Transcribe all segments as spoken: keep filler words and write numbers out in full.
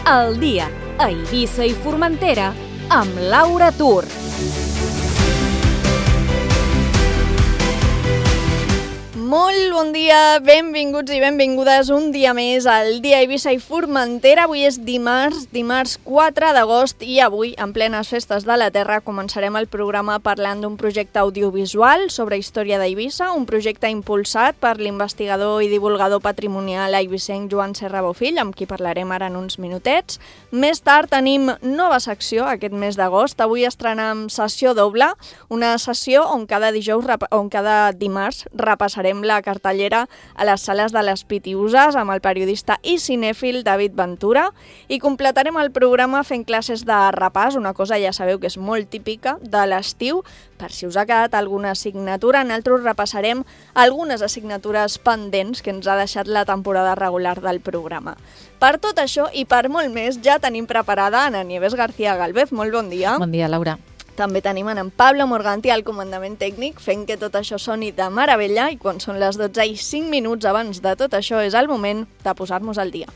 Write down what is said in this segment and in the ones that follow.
al dia a Eivissa i Formentera amb Laura Tur. Molt bon dia, benvinguts i benvingudes un dia més al dia a Eivissa i Formentera. Avui és dimarts, dimarts quatre d'agost i avui, en plenes festes de la Terra, començarem el programa parlant d'un projecte audiovisual sobre història d'Eivissa, un projecte impulsat per l'investigador i divulgador patrimonial eivissenc Joan Serra Bofill, amb qui parlarem ara en uns minutets. Més tard tenim nova secció aquest mes d'agost. Avui estrenem sessió doble, una sessió on cada dijous, on cada dimarts repassarem la cartellera a les sales de les Pitiüses amb el periodista i cinèfil David Ventura i completarem el programa fent classes de repàs, una cosa ja sabeu que és molt típica de l'estiu. Per si us ha quedat alguna assignatura, nosaltres repassarem algunes assignatures pendents que ens ha deixat la temporada regular del programa. Per tot això i per molt més ja tenim preparada Ana Nieves García Galvez. Molt bon dia. Bon dia, Laura. També tenim en Pablo Morganti al comandament tècnic fent que tot això soni de meravella i quan són les dotze i cinc minuts abans de tot això és el moment de posar-nos al dia.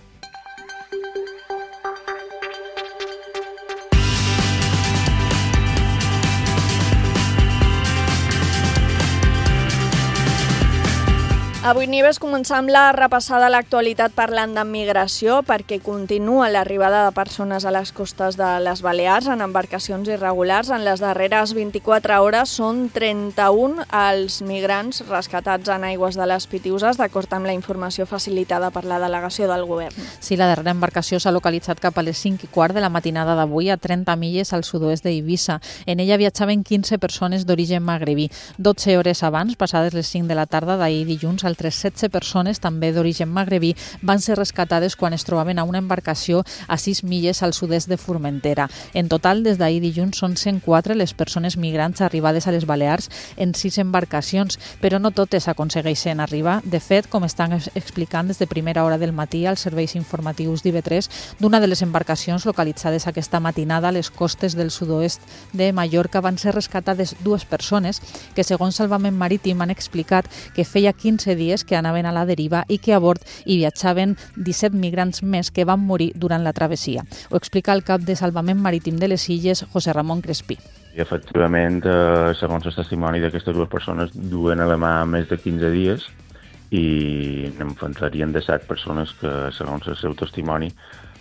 Avui, Nieves, començam la repassada a l'actualitat parlant de migració perquè continua l'arribada de persones a les costes de les Balears en embarcacions irregulars. En les darreres vint-i-quatre hores són trenta-un els migrants rescatats en aigües de les Pitiüses, d'acord amb la informació facilitada per la delegació del govern. Sí, la darrera embarcació s'ha localitzat cap a les cinc i quart de la matinada d'avui a trenta milles al sud-oest d'Eivissa. En ella viatjaven quinze persones d'origen magrebí. dotze hores abans, passades les cinc de la tarda d'ahir dilluns, altres setze persones, també d'origen magrebí, van ser rescatades quan es trobaven a una embarcació a sis milles al sud-est de Formentera. En total, des d'ahir dilluns, són cent quatre les persones migrants arribades a les Balears en sis embarcacions, però no totes aconsegueixen arribar. De fet, com estan explicant des de primera hora del matí als serveis informatius d'I V tres, d'una de les embarcacions localitzades aquesta matinada a les costes del sud-oest de Mallorca van ser rescatades dues persones que, segons Salvament Marítim, han explicat que feia quinze dies que anaven a la deriva i que a bord hi viatjaven disset migrants més que van morir durant la travessia. Ho explica el cap de Salvament Marítim de les Illes, José Ramon Crespí. I efectivament, eh, segons el testimoni d'aquestes dues persones, duen a la mà més de quinze dies i en farien de set persones que, segons el seu testimoni,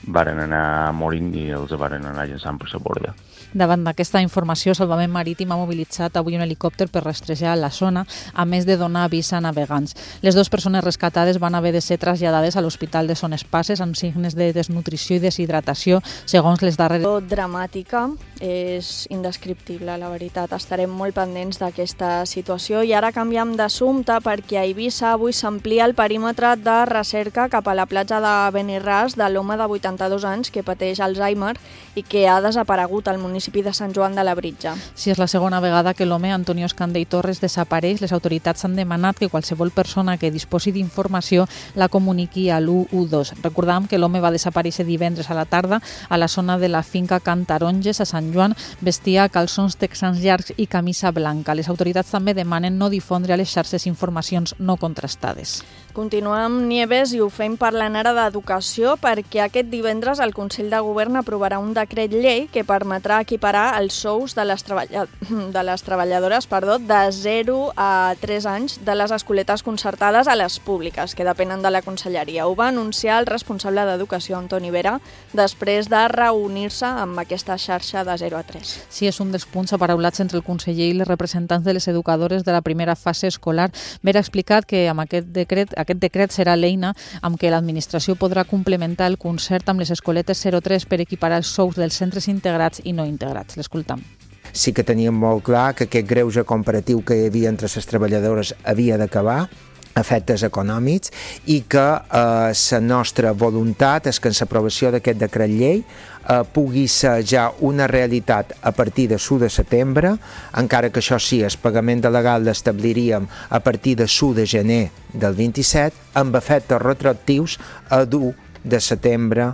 varen anar morint i els varen anar llançant per la borda. Davant d'aquesta informació, Salvament Marítim ha mobilitzat avui un helicòpter per rastrejar la zona, a més de donar avís a navegants. Les dues persones rescatades van haver de ser traslladades a l'Hospital de Son Espases amb signes de desnutrició i deshidratació, segons les darreres... Dramàtica, és indescriptible, la veritat. Estarem molt pendents d'aquesta situació i ara canviem d'assumpte perquè a Eivissa avui s'amplia el perímetre de recerca cap a la platja de Benirràs de l'home de vuitanta-dos anys que pateix Alzheimer i que ha desaparegut al municipi de Sant Joan de Labritja. Si és la segona vegada que l'home Antonio Escandell Torres desapareix, les autoritats han demanat que qualsevol persona que disposi d'informació la comuniqui a l'u u dos. Recordam que l'home va desaparèixer divendres a la tarda a la zona de la finca Can Taronges a Sant Joan, vestia calçons texans llargs i camisa blanca. Les autoritats també demanen no difondre a les xarxes informacions no contrastades. Continuem, Nieves, i ho fem parlant ara d'educació perquè aquest divendres el Consell de Govern aprovarà un decret llei que permetrà equiparar els sous de les, treballa... de les treballadores perdó, de zero a tres anys de les escoletes concertades a les públiques, que depenen de la Conselleria. Ho va anunciar el responsable d'Educació, Antoni Vera, després de reunir-se amb aquesta xarxa de zero a tres. Sí, és un dels punts aparaulats entre el conseller i les representants de les educadores de la primera fase escolar. Vera ha explicat que amb aquest decret Aquest decret serà l'eina amb què l'administració podrà complementar el concert amb les escoletes zero tres per equiparar els sous dels centres integrats i no integrats. L'escoltam. Sí que teníem molt clar que aquest greuge comparatiu que hi havia entre les treballadores havia d'acabar, efectes econòmics, i que eh, la nostra voluntat és que en l'aprovació d'aquest decret llei eh, pugui ser ja una realitat a partir de l'u de setembre, encara que això sí, el pagament legal l'establiríem a partir de l'u de gener del vint-i-set, amb efectes retroactius a l'u de setembre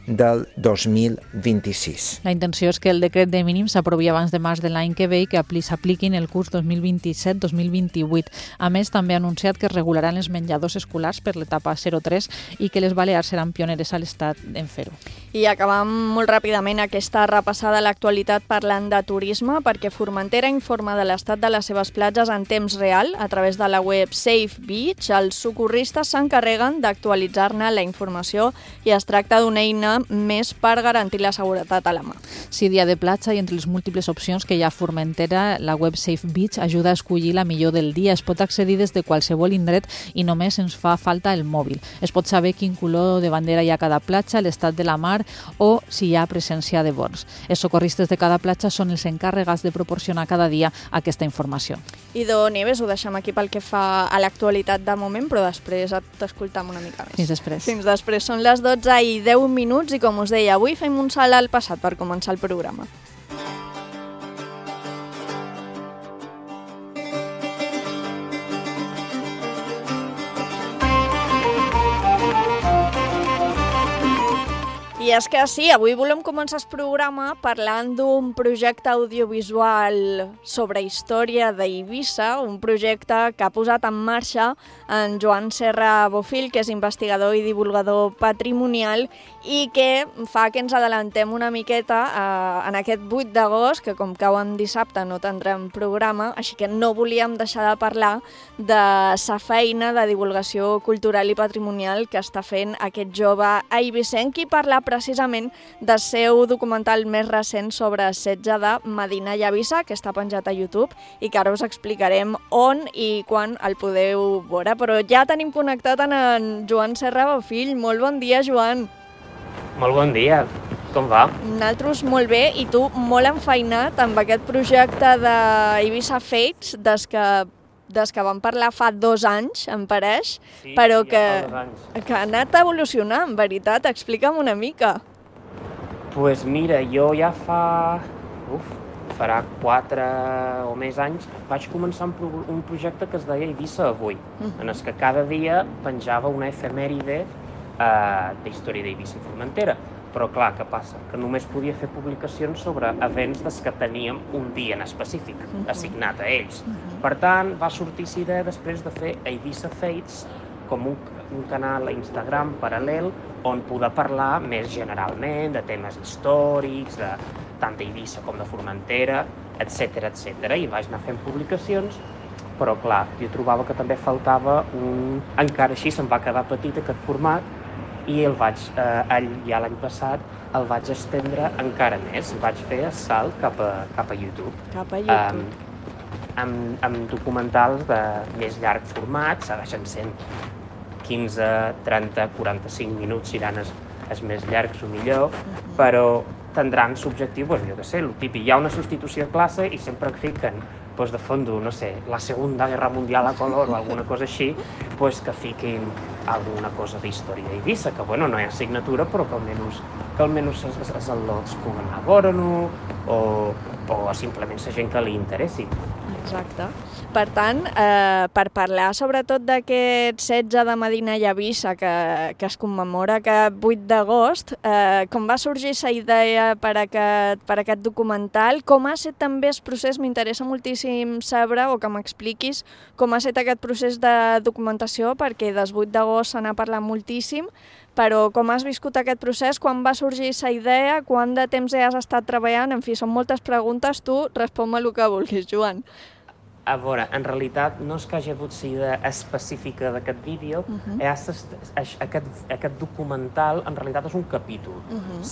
del dos mil vint-i-sis. La intenció és que el decret de mínims s'aprovi abans de març de l'any que ve i que s'apliquin el curs dos mil vint-i-set dos mil vint-i-vuit. A més, també ha anunciat que es regularan els menjadors escolars per l'etapa zero tres i que les Balears seran pioneres a l'Estat en fer-ho. I acabam molt ràpidament aquesta repassada a l'actualitat parlant de turisme, perquè Formentera informa de l'estat de les seves platges en temps real a través de la web Safe Beach. Els socorristes s'encarreguen d'actualitzar-ne la informació i es tracta d'una eina més per garantir la seguretat a la mà. Sí, dia de platja i entre les múltiples opcions que hi ha a Formentera, la web Safe Beach ajuda a escollir la millor del dia. Es pot accedir des de qualsevol indret i només ens fa falta el mòbil. Es pot saber quin color de bandera hi ha a cada platja, l'estat de la mar o si hi ha presència de bons. Els socorristes de cada platja són els encarregats de proporcionar cada dia aquesta informació. Idò Nieves, ho deixem aquí pel que fa a l'actualitat de moment, però després t'escoltam una mica més. Fins després. Fins després. Són les dotze i deu minuts i, com us deia, avui fem un salt al passat per començar el programa. I és que sí, avui volem començar el programa parlant d'un projecte audiovisual sobre història d'Eivissa, un projecte que ha posat en marxa en Joan Serra Bofill, que és investigador i divulgador patrimonial i que fa que ens adelantem una miqueta eh, en aquest vuit d'agost, que com cau en dissabte no tindrem programa, així que no volíem deixar de parlar de sa feina de divulgació cultural i patrimonial que està fent aquest jove eivissenc i parlar precisament del seu documental més recent sobre el setge de Medina i Eivissa, que està penjat a YouTube i que ara us explicarem on i quan el podeu veure. Però ja tenim connectat en, en Joan Serra Bofill. Molt bon dia, Joan. Molt bon dia. Com va? Nosaltres molt bé, i tu molt enfeinat amb aquest projecte d'Eivissa Fates, des que des que vam parlar fa dos anys, em pareix, sí, però sí, que, ja que ha anat evolucionant, en veritat. Explica'm una mica. Doncs pues mira, jo ja fa... Uf, farà quatre o més anys, vaig començar un, pro un projecte que es deia Eivissa Avui, uh-huh. en el que cada dia penjava una efemèride eh, d'història d'Eivissa i Formentera. Però clar, què passa? Que només podia fer publicacions sobre events des que teníem un dia en específic, uh-huh. assignat a ells. Uh-huh. Per tant, va sortir la idea després de fer Eivissa Fates com un, un canal a Instagram paral·lel on poder parlar més generalment de temes històrics, de, tant d'Eivissa com de Formentera, etcètera, etcètera. I vaig anar fent publicacions, però clar, jo trobava que també faltava un... Encara així se'm va quedar petit aquest format, i el vaig, eh, ja l'any passat el vaig estendre encara més. Vaig fer el salt cap a, cap a YouTube. Cap a YouTube. Um, amb, amb documentals de més llarg format, segueixen sent quinze, trenta, quaranta-cinc minuts, seran els, els més llargs o millor, uh-huh. però tindran l'objectiu, doncs, jo què sé, el típic. Hi ha una substitució de classe i sempre fiquen pues, de fondo, no sé, la Segunda Guerra Mundial a color o alguna cosa així, pues, que fiquin alguna cosa d'història d'Eivissa, que bueno, no hi ha assignatura, però que almenys, que almenys els, els al·lots puguen anar a veure-ho, o, o simplement la gent que li interessi. Exacte. Per tant, eh, per parlar sobretot d'aquest setge de Medina i Eivissa que, que es commemora aquest vuit d'agost, eh, com va sorgir la idea per aquest, per aquest documental? Com ha estat també el procés? M'interessa moltíssim saber, o que m'expliquis, com ha estat aquest procés de documentació, perquè des vuit d'agost se n'ha parlat moltíssim, però com has viscut aquest procés, quan va sorgir la idea, quant de temps has estat treballant? En fi, són moltes preguntes, tu respon-me el que vulguis, Joan. A veure, en realitat no és que hagi hagut la idea específica d'aquest vídeo, uh-huh. és, aquest, aquest documental en realitat és un capítol. Uh-huh.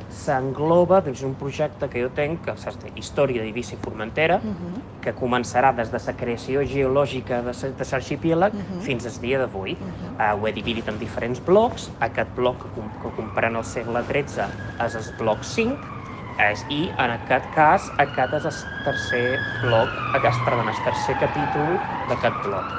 S'engloba dins un projecte que jo tenc, que és de Història d'Eivissa i Formentera, uh-huh. que començarà des de la creació geològica de l'arxipèlag uh-huh. fins al dia d'avui. Uh-huh. uh, ho he dividit en diferents blocs. Aquest bloc que, que comprèn el segle tretze és el bloc cinc, És, i en aquest cas aquest és el tercer bloc, aquest, perdó, el tercer capítol d'aquest bloc.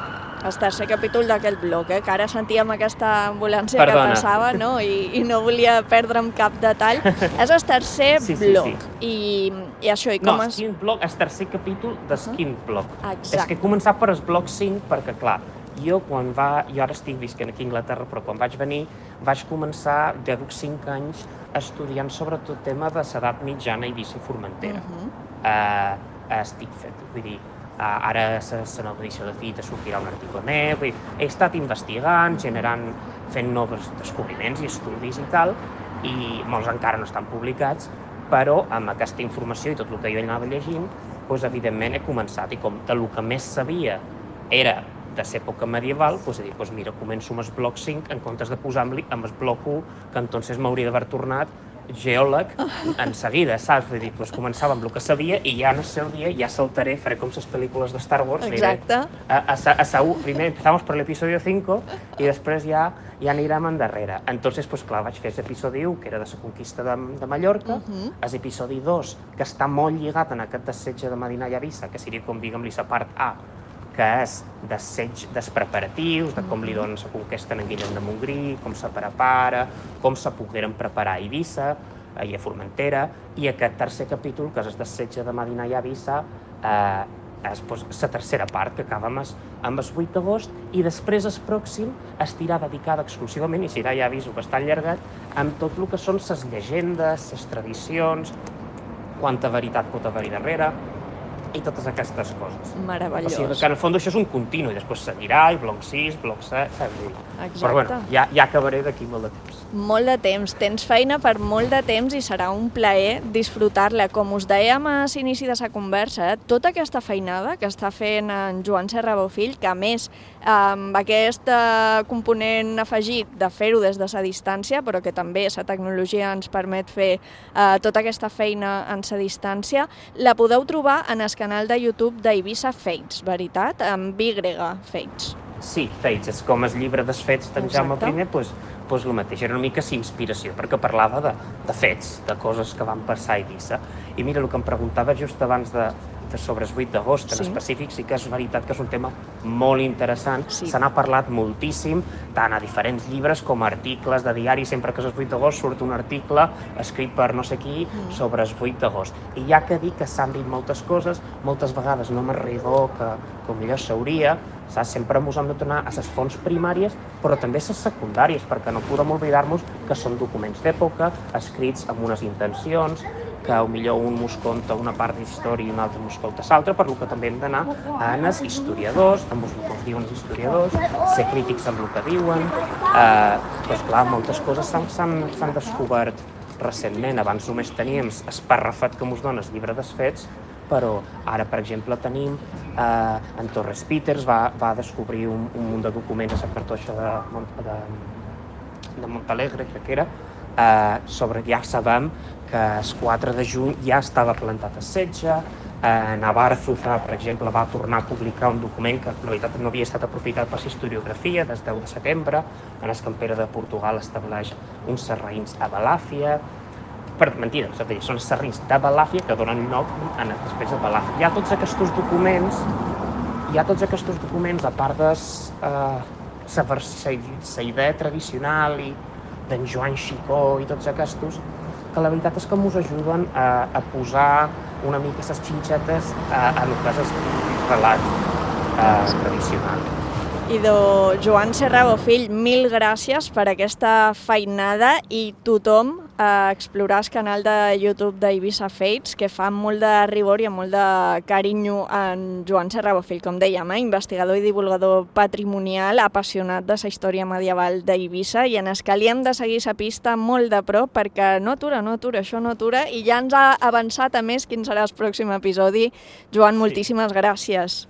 El tercer capítol d'aquest bloc, eh? Que ara sentíem aquesta ambulància Perdona. Que passava, no? I, i no volia perdre'm cap detall. És el tercer sí, sí, bloc. Sí. I, I això, i com no, es... No, quin bloc, el tercer capítol del uh-huh. quin bloc. Exacte. És que he començat per el bloc cinc perquè, clar, jo quan va... Jo ara estic visquent aquí a Anglaterra, però quan vaig venir vaig començar, ja duc cinc anys, estudiant sobretot tema de l'edat mitjana a Eivissa i Formentera. Uh-huh. uh, estic fet, vull dir, uh, ara la nova edició de Fita sortirà un article meu, vull dir, he estat investigant, generant, fent nous descobriments i estudis i tal, i molts encara no estan publicats, però amb aquesta informació i tot el que jo anava llegint, doncs, evidentment he començat, i com del que més sabia era de l'època medieval, doncs he dit, doncs mira, començo amb el bloc cinc en comptes de posar amb el bloc u, que entonces m'hauria d'haver tornat geòleg en seguida, saps? Vull dir, doncs començava amb el que sabia i ja en el seu dia ja saltaré, faré com les pel·lícules de Star Wars. Exacte. A, a, a, a, primer empezamos per l'episodio cinco i després ja ja anirem endarrere. Entonces, pues clar, vaig fer l'episodi u, que era de la conquista de, de Mallorca, uh-huh. l'episodi dos, que està molt lligat en aquest dessetge de Medina i Eivissa, que seria com, diguem-li, la part A, que és desseig dels preparatius, de com li donen la conquesta en Guillem de Montgrí, com se prepara, com se pogueren preparar a Eivissa, i a Formentera, i aquest tercer capítol, que és el dessetge de Medina i Eivissa, eh, és la tercera part, que acaba amb el vuit d'agost, i després el pròxim estirà dedicada exclusivament, i serà, ja aviso que està allargat, amb tot el que són les llegendes, les tradicions, quanta veritat pot haver-hi darrere, i totes aquestes coses. Meravellós. O sigui que en el fons això és un continu, i després seguirà, i bloc sis, bloc set, saps dir? Exacte. Però bueno, ja, ja acabaré d'aquí molt de temps. Molt de temps, tens feina per molt de temps i serà un plaer disfrutar-la. Com us dèiem a l'inici de la conversa, tota aquesta feinada que està fent en Joan Serra Bofill, que a més amb aquest component afegit de fer-ho des de la distància, però que també la tecnologia ens permet fer eh, tota aquesta feina en la distància, la podeu trobar en el canal de YouTube d'Eivissa Fates, veritat? Amb Y, Fates. Sí, Fates, és com el llibre dels fets d'en Jaume I, doncs, doncs el mateix, era una mica inspiració, perquè parlava de, de fets, de coses que van passar a Eivissa. I mira, el que em preguntava just abans de, de sobre el vuit d'agost, en sí. específic, sí que és veritat que és un tema molt interessant, sí. se n'ha parlat moltíssim, tant a diferents llibres com a articles de diari, sempre que és el vuit d'agost surt un article escrit per no sé qui mm. sobre el vuit d'agost. I ja que dic que s'han dit moltes coses, moltes vegades no m'arribo que, que millor s'hauria, saps? Sempre ens hem de tornar a les fonts primàries, però també a les secundàries, perquè no podem oblidar-nos que són documents d'època, escrits amb unes intencions, que potser un mos conta una part d'història i un altre mos conta l'altra, per lo que també hem d'anar a els historiadors, amb el que us diuen els historiadors, ser crítics amb el que diuen. Eh, doncs clar, moltes coses s'han descobert recentment. Abans només teníem esparrafat que mos dona el llibre dels fets, però ara, per exemple, tenim eh, en Torres Peters va, va descobrir un, un munt de documents a la cartoixa de, de, de Montalegre, crec que era, eh, sobre, ja sabem que el quatre de juny ja estava plantat el setge, eh, Navarzuza, per exemple, va tornar a publicar un document que, en realitat, no havia estat aprofitat per la historiografia, des del deu de setembre, en el que en Pere de Portugal estableix uns serraïns a Balàfia. Per mentida, és a dir, són serrins de Balàfia que donen nom a després de Balàfia. Hi ha tots aquests documents, hi ha tots aquests documents, a part de la idea tradicional i d'en Joan Xicó i tots aquests, que la veritat és que ens ajuden a, a posar una mica les xinxetes a, a el que és el relat eh, tradicional. Idò Joan Serra Bofill, mil gràcies per aquesta feinada i tothom a explorar el canal de YouTube d'Eivissa Fates, que fa molt de rigor i molt de carinyo en Joan Serra Bofill, com dèiem, eh? investigador i divulgador patrimonial, apassionat de la història medieval d'Eivissa, i en el que li hem de seguir la pista molt de prop, perquè no atura, no atura, això no atura, i ja ens ha avançat a més quin serà el pròxim episodi. Joan, moltíssimes sí. gràcies.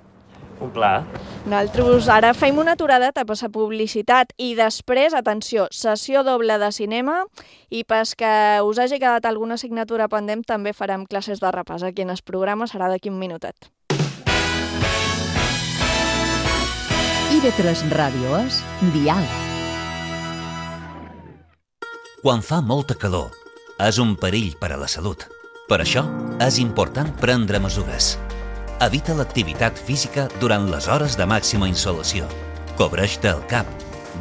Un plaer. Nosaltres ara fem una aturada per la publicitat i després, atenció, sessió doble de cinema, i pels que us hagi quedat alguna assignatura pendent també farem classes de repàs. Aquí en el programa serà d'aquí un minutet. I de tres Ràdio és Dial. Quan fa molta calor, és un perill per a la salut. Per això, és important prendre mesures. Evita l'activitat física durant les hores de màxima insolació. Cobreix-te el cap,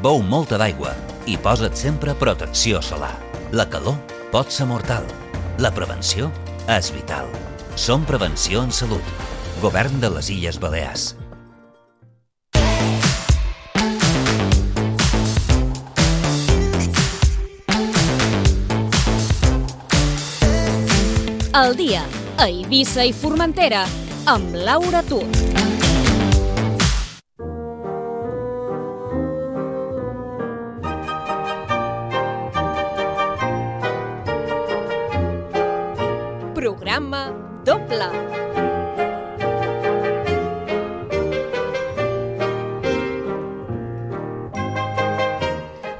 beu molta d'aigua i posa't sempre protecció solar. La calor pot ser mortal. La prevenció és vital. Som Prevenció en Salut. Govern de les Illes Balears. El dia a Eivissa i Formentera amb Laura Tur. Programa doble.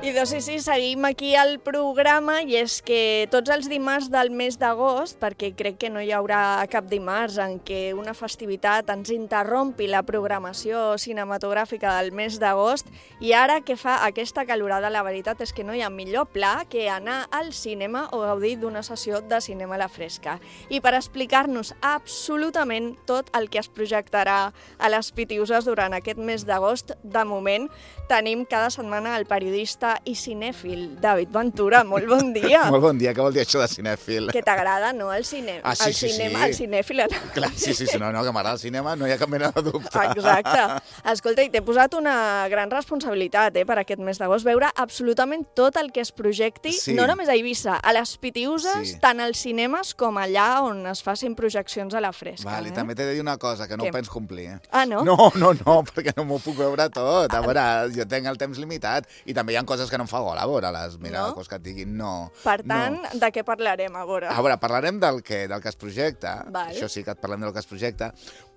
I doncs sí, sí, seguim aquí al programa i és que tots els dimarts del mes d'agost, perquè crec que no hi haurà cap dimarts en què una festivitat ens interrompi la programació cinematogràfica del mes d'agost, i ara que fa aquesta calorada, la veritat és que no hi ha millor pla que anar al cinema o gaudir d'una sessió de cinema a la fresca. I per explicar-nos absolutament tot el que es projectarà a les Pitiuses durant aquest mes d'agost, de moment tenim cada setmana el periodista i cinèfil David Ventura. Molt bon dia. Molt bon dia, què vol dir això de cinèfil? Que t'agrada, no, el, cine... ah, sí, el sí, cinema, sí. el cinèfil. Clar, sí, sí, sí, no, no, que m'agrada el cinema, no hi ha cap mena de dubte. Exacte. Escolta, i t'he posat una gran responsabilitat eh, per aquest mes d'agost, veure absolutament tot el que es projecti, sí. no només a Eivissa, a les Pitiuses, Sí. tant als cinemes com allà on es facin projeccions a la fresca. Val, i eh? també t'he de dir una cosa, que no Què? ho pens complir. Eh? Ah, no? No, no, no, perquè no m'ho puc veure tot. A veure, jo tenc el temps limitat i també hi ha coses que no em fa gol a veure-les. Mira, No? coses que et diguin, no. Per tant, no. de què parlarem a veure? A veure, parlarem del que, del que es projecta, Val. això sí que et parlem del que es projecta,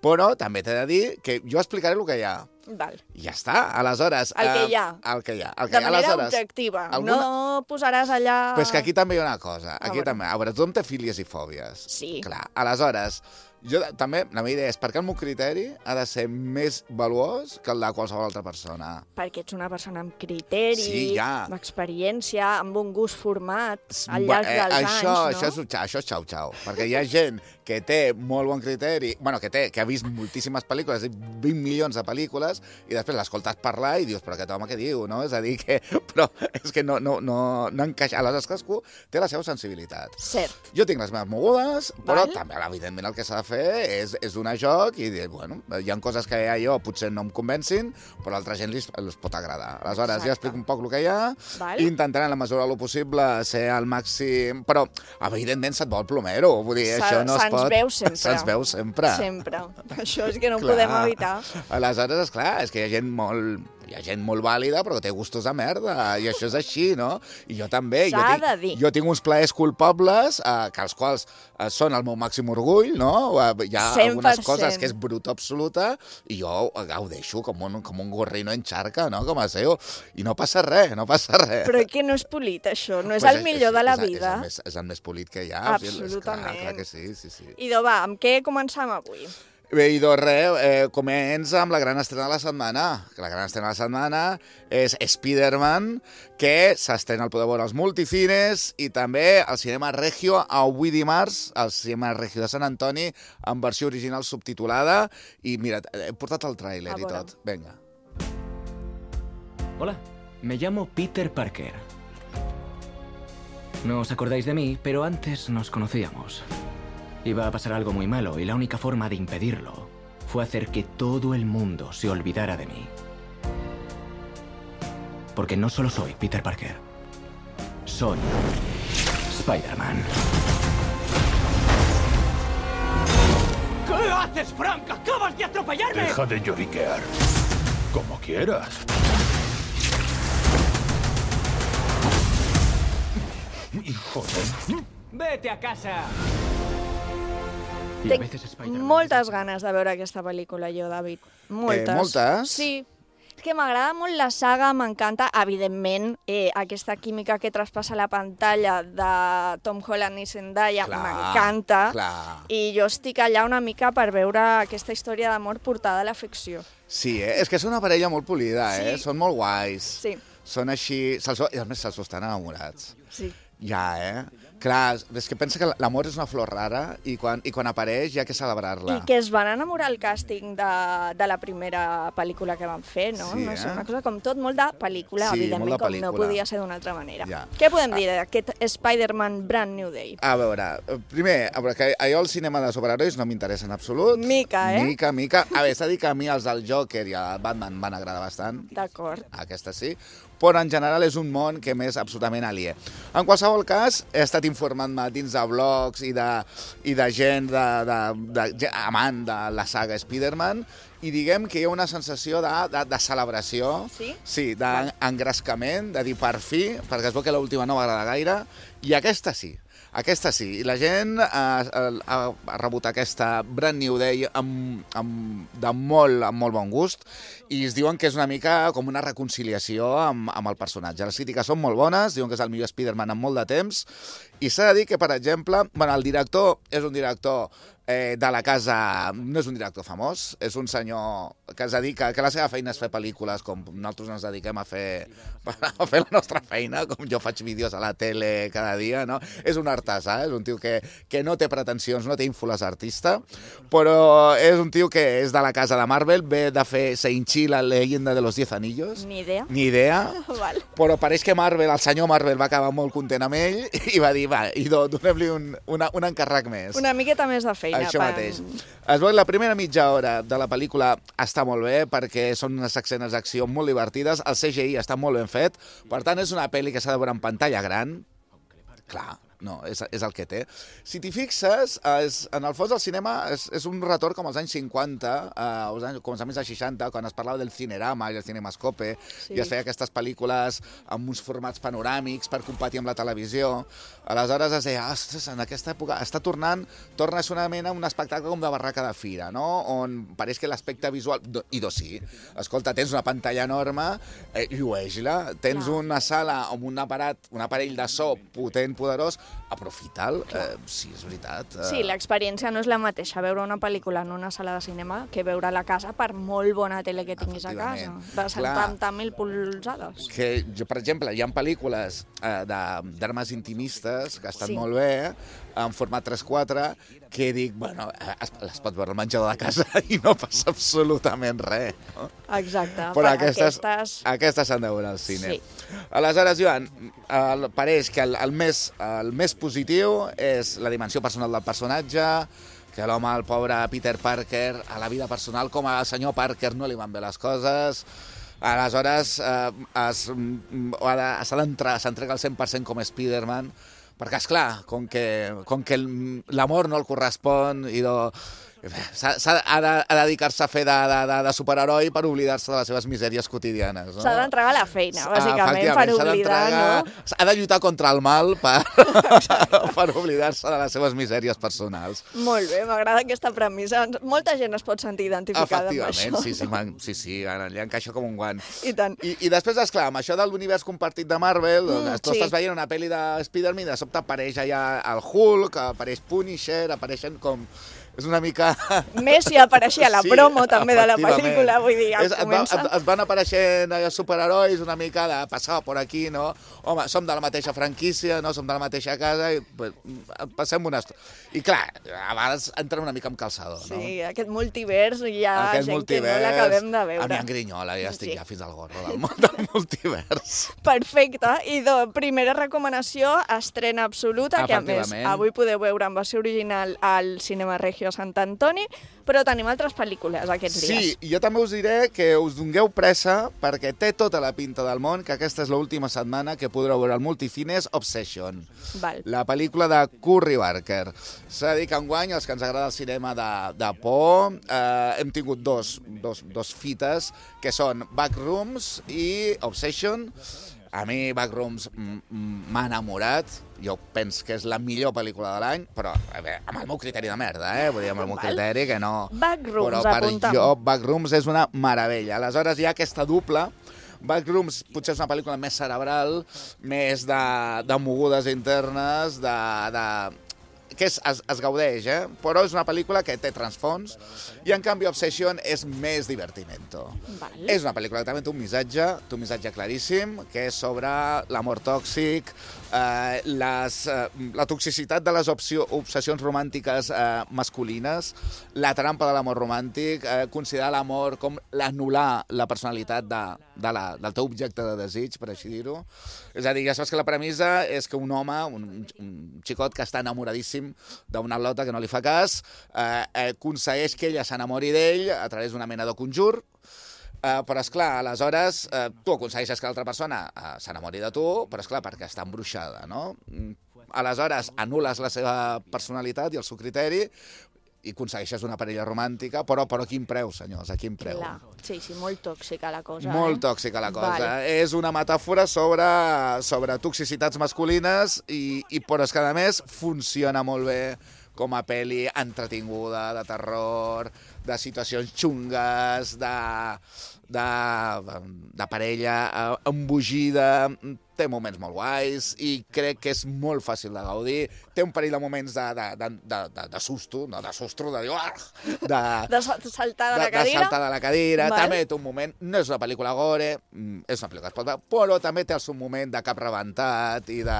però també t'he de dir que jo explicaré el que hi ha. Val. I ja està, aleshores... El que eh, hi ha. El que hi ha. El que De hi ha, manera aleshores, objectiva. alguna- No posaràs allà... Però és que aquí també hi ha una cosa. Aquí veure. també. A veure, tothom té fílies i fòbies. Sí. Clar. Aleshores, jo també, la meva idea és perquè el meu criteri ha de ser més valuós que el de qualsevol altra persona. Perquè ets una persona amb criteri, Sí, ja. amb experiència, amb un gust format al Ba- llarg eh, dels això, anys, això no? és, això és xau-xau, perquè hi ha gent que té molt bon criteri, bueno, que té, que ha vist moltíssimes pel·lícules, vint milions de pel·lícules, i després l'escoltes parlar i dius, però aquest home què diu, no? És a dir, que, però és que no, no, no, no encaixa. Aleshores, cadascú té la seva sensibilitat. Cert. Jo tinc les meves mogudes, però Val. també, evidentment, el que s'ha de fer és, és donar joc i dir, bueno, hi ha coses que a jo potser no em convencin, però a altra gent li els pot agradar. Aleshores, Exacte. jo explico un poc el que hi ha, Val. i intentaré, en la mesura del possible, ser al màxim... Però, evidentment, se't vol plomero. Vull dir, Se- això no es se'ns pot... veu sempre. Se'ns veu sempre. Sempre. Això és que no ho Clar. podem evitar. Aleshores, esclar, és que hi ha gent molt... Hi ha gent molt vàlida, però que té gustos de merda, i això és així, no? I jo també. Jo S'ha tinc, de dir. jo tinc uns plaers culpables, eh, que els quals eh, són el meu màxim orgull, no? Eh, Hi ha cent per algunes coses cent. que és bruta absoluta, i jo gaudeixo com un, com un gorrino en xarca, no? Com a seu. I no passa res, no passa res. Però que no és polit, això. No és Pues el millor de la és, és, vida. És el, més, és el més polit que hi ha. Absolutament. És clar, clar que sí, sí, sí. Idò, va, amb què començam avui? Bé, i doncs res, eh, comença amb la gran estrena de la setmana. La gran estrena de la setmana és Spider-Man, que s'estrena al poder veure als multicines i també al Cinema Regio avui dimarts, al Cinema Regio de Sant Antoni, en versió original subtitulada. I mira, he portat el tràiler A i veure. tot. Vinga. Hola, me llamo Peter Parker. No os acordáis de mí, pero antes nos conocíamos. Iba a pasar algo muy malo y la única forma de impedirlo fue hacer que todo el mundo se olvidara de mí. Porque no solo soy Peter Parker, soy Spider-Man. ¿Qué haces, Frank? ¡Acabas de atropellarme! Deja de lloriquear. Como quieras. Hijo de... ¡Vete a casa! Y a Tenc veces Spider-Man... moltes ganes de veure aquesta pel·lícula, jo, David. Moltes. Eh, moltes? Sí. És que m'agrada molt la saga, m'encanta, evidentment, eh, aquesta química que traspassa la pantalla de Tom Holland i Zendaya, Clar, m'encanta. clar. I jo estic allà una mica per veure aquesta història d'amor portada a la ficció. Sí, eh? És que és una parella molt polida, eh? Sí. Són molt guais. Sí. Són així... Se'ls veu- I a més se'ls estan enamorats. Sí. Ja, eh? Clar, és que pensa que l'amor és una flor rara i quan, i quan apareix hi ha que celebrar-la. I que es van enamorar al càsting de, de la primera pel·lícula que van fer, no? Sí, no sé, eh? una cosa com tot molt de pel·lícula, Sí, evidentment, molt de com no pel·lícula. podia ser d'una altra manera. Ja. Què podem dir d'aquest Spider-Man Brand New Day? A veure, eh, primer, a veure, que allò el cinema de superherois no m'interessa en absolut. Mica, eh? Mica, mica. A veure, s'ha de dir que a mi els del Joker i el Batman van agradar bastant. D'acord. Aquesta sí. Però en general és un món que m'és absolutament aliè. En qualsevol cas, he estat informant-me dins de blogs i de, i de gent de, de, de, de, amant de la saga Spider-Man, i diguem que hi ha una sensació de, de, de celebració, Sí? sí, d'engrescament, de dir per fi, perquè es veu que l'última no va agradar gaire, i aquesta sí. Aquesta sí, i la gent ha, ha, ha rebut aquesta Brand New Day amb, amb, de molt, amb molt bon gust, i es diuen que és una mica com una reconciliació amb, amb el personatge. Les crítiques són molt bones, diuen que és el millor Spider-Man en molt de temps, i s'ha de dir que, per exemple, bueno, el director és un director eh, de la casa, no és un director famós, és un senyor que es dedica, que la seva feina és fer pel·lícules, com nosaltres ens dediquem a fer, a fer la nostra feina, com jo faig vídeos a la tele cada dia, no? És un artesà, és un tio que, que no té pretensions, no té ínfoles artista, però és un tio que és de la casa de Marvel, ve de fer Shang-Chi, la leyenda de los diez anillos. Ni idea. Ni idea. Val. Però pareix que Marvel, el senyor Marvel, va acabar molt content amb ell i va dir, va, i donem-li un, una, un encàrrec més. Una miqueta més de feina. Això per... mateix. Es veu que la primera mitja hora de la pel·lícula està molt bé perquè són unes escenes d'acció molt divertides, el C G I està molt ben fet, per tant és una pel·li que s'ha de veure en pantalla gran, clar, no, és, és el que té. Si t'hi fixes, és, en el fons el cinema és, és un retorn com als anys cinquanta, eh, als anys, començaments dels seixanta, quan es parlava del cinerama i el cinemascope, sí. I es feia aquestes pel·lícules amb uns formats panoràmics per competir amb la televisió. Aleshores es deia, ostres, en aquesta època està tornant, torna a ser una mena un espectacle com de barraca de fira, no? On pareix que l'aspecte visual... I doncs sí, escolta, tens una pantalla enorme, eh, llueix-la, tens Clar. una sala amb un aparat, un aparell de so potent, poderós, aprofita'l, eh, sí, és veritat. Eh... Sí, l'experiència no és la mateixa veure una pel·lícula en una sala de cinema que veure a la casa, per molt bona tele que tinguis a casa, de setanta mil polzades. Que jo, per exemple, hi ha pel·lícules eh, d'armes intimistes que estan sí. molt bé, en format tres quatre, que dic, bueno, es, les pots veure al menjador de casa i no passa absolutament res. No? Exacte. Però aquestes aquestes s'han de veure al cine. Sí. Aleshores, Joan, el, pareix que el, el, més, el més positiu és la dimensió personal del personatge, que l'home, el pobre Peter Parker, a la vida personal, com al senyor Parker no li van bé les coses, aleshores eh, s'ha d'entrar, s'entrega al cent per cent com Spider-Man, perquè, esclar, com que, com que l'amor no el correspon i no... S'ha, ha de, de dedicar-se a fer de, de, de superheroi per oblidar-se de les seves misèries quotidianes. No? S'ha d'entregar a la feina, bàsicament, per oblidar, no? Ha de lluitar contra el mal per, per oblidar-se de les seves misèries personals. Molt bé, m'agrada aquesta premissa. Molta gent es pot sentir identificada amb això. Efectivament, sí, sí, man, sí, sí, li encaixa com un guant. I tant. I, i després, esclar, amb això de l'univers compartit de Marvel, mm, doncs, tu sí. estàs veient una pel·li de Spider-Man i de sobte apareix allà el Hulk, apareix Punisher, apareixen com... És una mica... Messi apareixia a la sí, promo també de la pel·lícula, vull dir, ja es, comença... Es, es van apareixent superherois una mica de passar per aquí, no? Home, som de la mateixa franquícia, no? Som de la mateixa casa i pues, passem una estona. I clar, a vegades entren una mica amb calçador, no? Sí, aquest multivers hi ha aquest gent multivers, que no l'acabem de veure. A mi en grinyola, ja estic sí. ja fins al gorro del, del multivers. Perfecte. I de primera recomanació, estrena absoluta, que a més avui podeu veure en versió original al Cinema Regio a Sant Antoni, però tenim altres pel·lícules aquests dies. Sí, jo també us diré que us dongueu pressa perquè té tota la pinta del món, que aquesta és l'última setmana que podreu veure al Multicines Obsession, Val. la pel·lícula de Curry Barker. S'ha de dir que enguany, els que ens agrada el cinema de, de por, eh, hem tingut dos, dos, dos fites, que són Backrooms i Obsession. A mi Backrooms m'ha enamorat, jo penso que és la millor pel·lícula de l'any, però a veure, amb el meu criteri de merda, eh? Vull dir, amb el meu criteri que no... Backrooms, però per apuntam. jo, Backrooms és una meravella. Aleshores hi ha aquesta dupla. Backrooms potser és una pel·lícula més cerebral, més de, de mogudes internes, de... de que és, es, es gaudeix, eh? Però és una pel·lícula que té transfons i en canvi Obsession és més divertimento. Val. És una pel·lícula que també té un missatge, té un missatge claríssim, que és sobre l'amor tòxic, eh, les, eh, la toxicitat de les opció, obsessions romàntiques eh, masculines, la trampa de l'amor romàntic, eh, considerar l'amor com l'anul·lar la personalitat de, de la, del teu objecte de desig, per així dir-ho. És a dir, ja saps que la premissa és que un home, un, un xicot que està enamoradíssim d'una lota que no li fa cas, eh, eh, aconsegueix que ella s'enamori d'ell a través d'una mena de conjur, eh, però, esclar, aleshores eh, tu aconsegueixes que l'altra persona eh, s'enamori de tu, però, esclar, perquè està embruixada, no? Aleshores, anules la seva personalitat i el seu criteri i aconsegueixes una parella romàntica, però, però a quin preu, senyors, a quin preu? Clar. Sí, sí, molt tòxica la cosa. Molt eh? tòxica la cosa. Vale. És una metàfora sobre, sobre toxicitats masculines, i, i però és que, a més, funciona molt bé com a pel·li entretinguda, de terror, de situacions xungues, de, de, de parella embogida. Té moments molt guais i crec que és molt fàcil de gaudir. Té un parell de moments de, de, de, de, de, de susto, no de susto, de dir... De, de saltar de la cadira. De saltar de la cadira. Val. També té un moment... No és una pel·lícula gore, és una pel·lícula que es pot veure, però també té el seu moment de cap rebentat i de...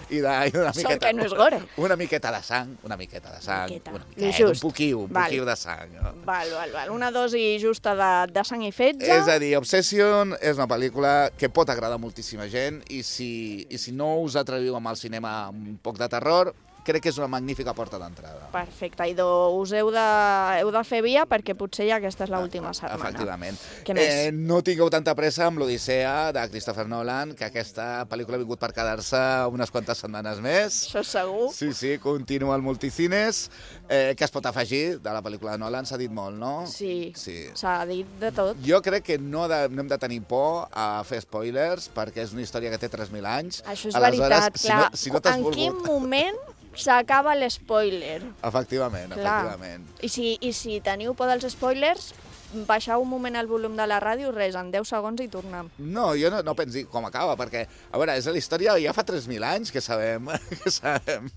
I de i una Sort miqueta, que no és gore. Una miqueta de sang, una miqueta de sang, Miqueta. una miqueta, un poquiu, un Val. poquiu de sang. No? Val, val, val. Una dosi justa de, de sang i fetge. És a dir, Obsession és una pel·lícula que pot agradar a moltíssima gent, i si, i si no us atreviu amb el cinema amb un poc de terror, crec que és una magnífica porta d'entrada. Perfecte, i us heu de, heu de fer via perquè potser ja aquesta és l'última setmana. Efectivament. Què més? Eh, no tingueu tanta pressa amb l'Odissea de Christopher Nolan, que aquesta pel·lícula ha vingut per quedar-se unes quantes setmanes més. Això segur. Sí, sí, continua al multicines. Eh, què es pot afegir de la pel·lícula de Nolan? S'ha dit molt, no? Sí, sí. s'ha dit de tot. Jo crec que no, de, no hem de tenir por a fer spoilers, perquè és una història que té tres mil anys. Això és Aleshores, veritat, si clar. no, si no t'has en volgut... quin moment s'acaba l'spoiler? Efectivament, Clar. efectivament. I si, I si teniu por dels spoilers, baixeu un moment el volum de la ràdio, res, en deu segons i tornem. No, jo no, no pensi com acaba, perquè, a veure, és la història ja fa tres mil anys que sabem. Que sabem.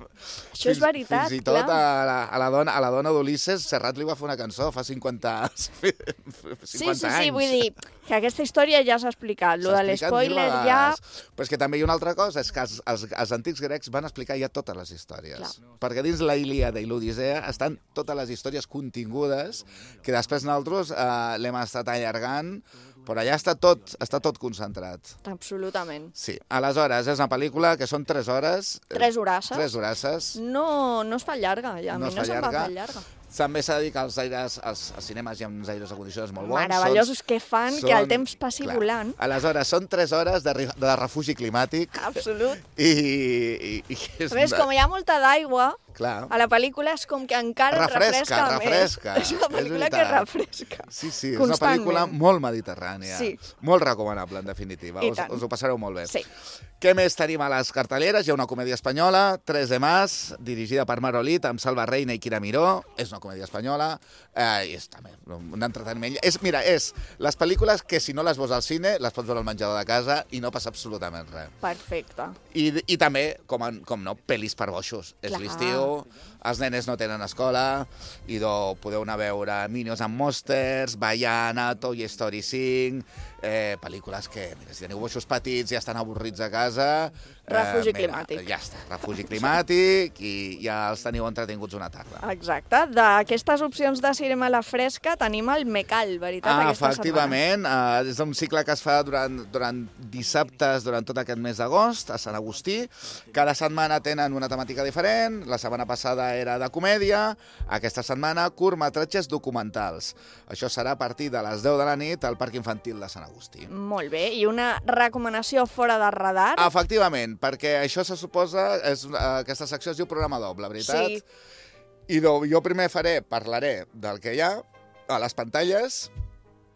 Això és veritat, Fins i tot clar. a la, a la dona, a la dona d'Ulisses, Serrat li va fer una cançó fa cinquanta, cinquanta Sí, sí, sí, anys. vull dir que aquesta història ja s'ha explicat, lo de S'ha explicat mil l'espoiler ja... vegades. Però és que també hi ha una altra cosa, és que els, els, els antics grecs van explicar ja totes les històries. Clar. Perquè dins la Ilíada i l'Odissea estan totes les històries contingudes, que després nosaltres eh, l'hem estat allargant, però allà està tot, està tot concentrat. Absolutament. Sí. Aleshores, és una pel·lícula que són tres hores. Tres horasses. Tres horasses. No, no es fa llarga, ja. A No mi es no fa se'm va llarga. fer llarga. També s'ha de dir que els aires, els, els cinemes hi ha uns aires acondicionats molt bons. Meravellosos que fan són, que el temps passi clar. volant. Aleshores, són tres hores de, ri- de refugi climàtic. Absolut. I, i, i és A més, com hi ha molta d'aigua, Clar. a la pel·lícula és com que encara et Refresca, refresca, refresca. més. És una pel·lícula És que veritat. refresca. Sí, sí, és Constantment. una pel·lícula molt mediterrània. Sí. Molt recomanable, en definitiva. I Us, tant. us ho passareu molt bé. Sí. Què més tenim a les cartelleres? Hi ha una comèdia espanyola, Tres de Mas, dirigida per Marolit, amb Salva Reina i Quira Miró. És una comèdia espanyola. Eh, i és també un entreteniment. És, mira, és les pel·lícules que si no les veus al cine, les pots veure al menjador de casa i no passa absolutament res. Perfecte. I, i també, com, en, com no, pel·lis per boixos. És Clar. l'estiu, els nenes no tenen escola, i do, podeu anar a veure Minions and Monsters, Baiana, Toy Story cinc, eh, pel·lícules que, mira, si teniu boixos petits i estan avorrits a casa... Refugi eh, mira, climàtic. Ja està, refugi climàtic, i ja els teniu entretinguts una tarda. Exacte. D'aquestes opcions de cinema a la fresca tenim el Mecal, veritat, Ah, aquesta efectivament, uh, és un cicle que es fa durant, durant dissabtes, durant tot aquest mes d'agost, a Sant Agustí. Cada setmana tenen una temàtica diferent. La setmana passada era de comèdia, aquesta setmana curtmetratges documentals. Això serà a partir de les deu de la nit al Parc Infantil de Sant Agustí. setmana. Molt bé. I una recomanació fora de radar? Efectivament, perquè això se suposa, és, uh, aquesta secció es diu programa doble, veritat? Sí. I do, jo primer faré, parlaré del que hi ha a les pantalles,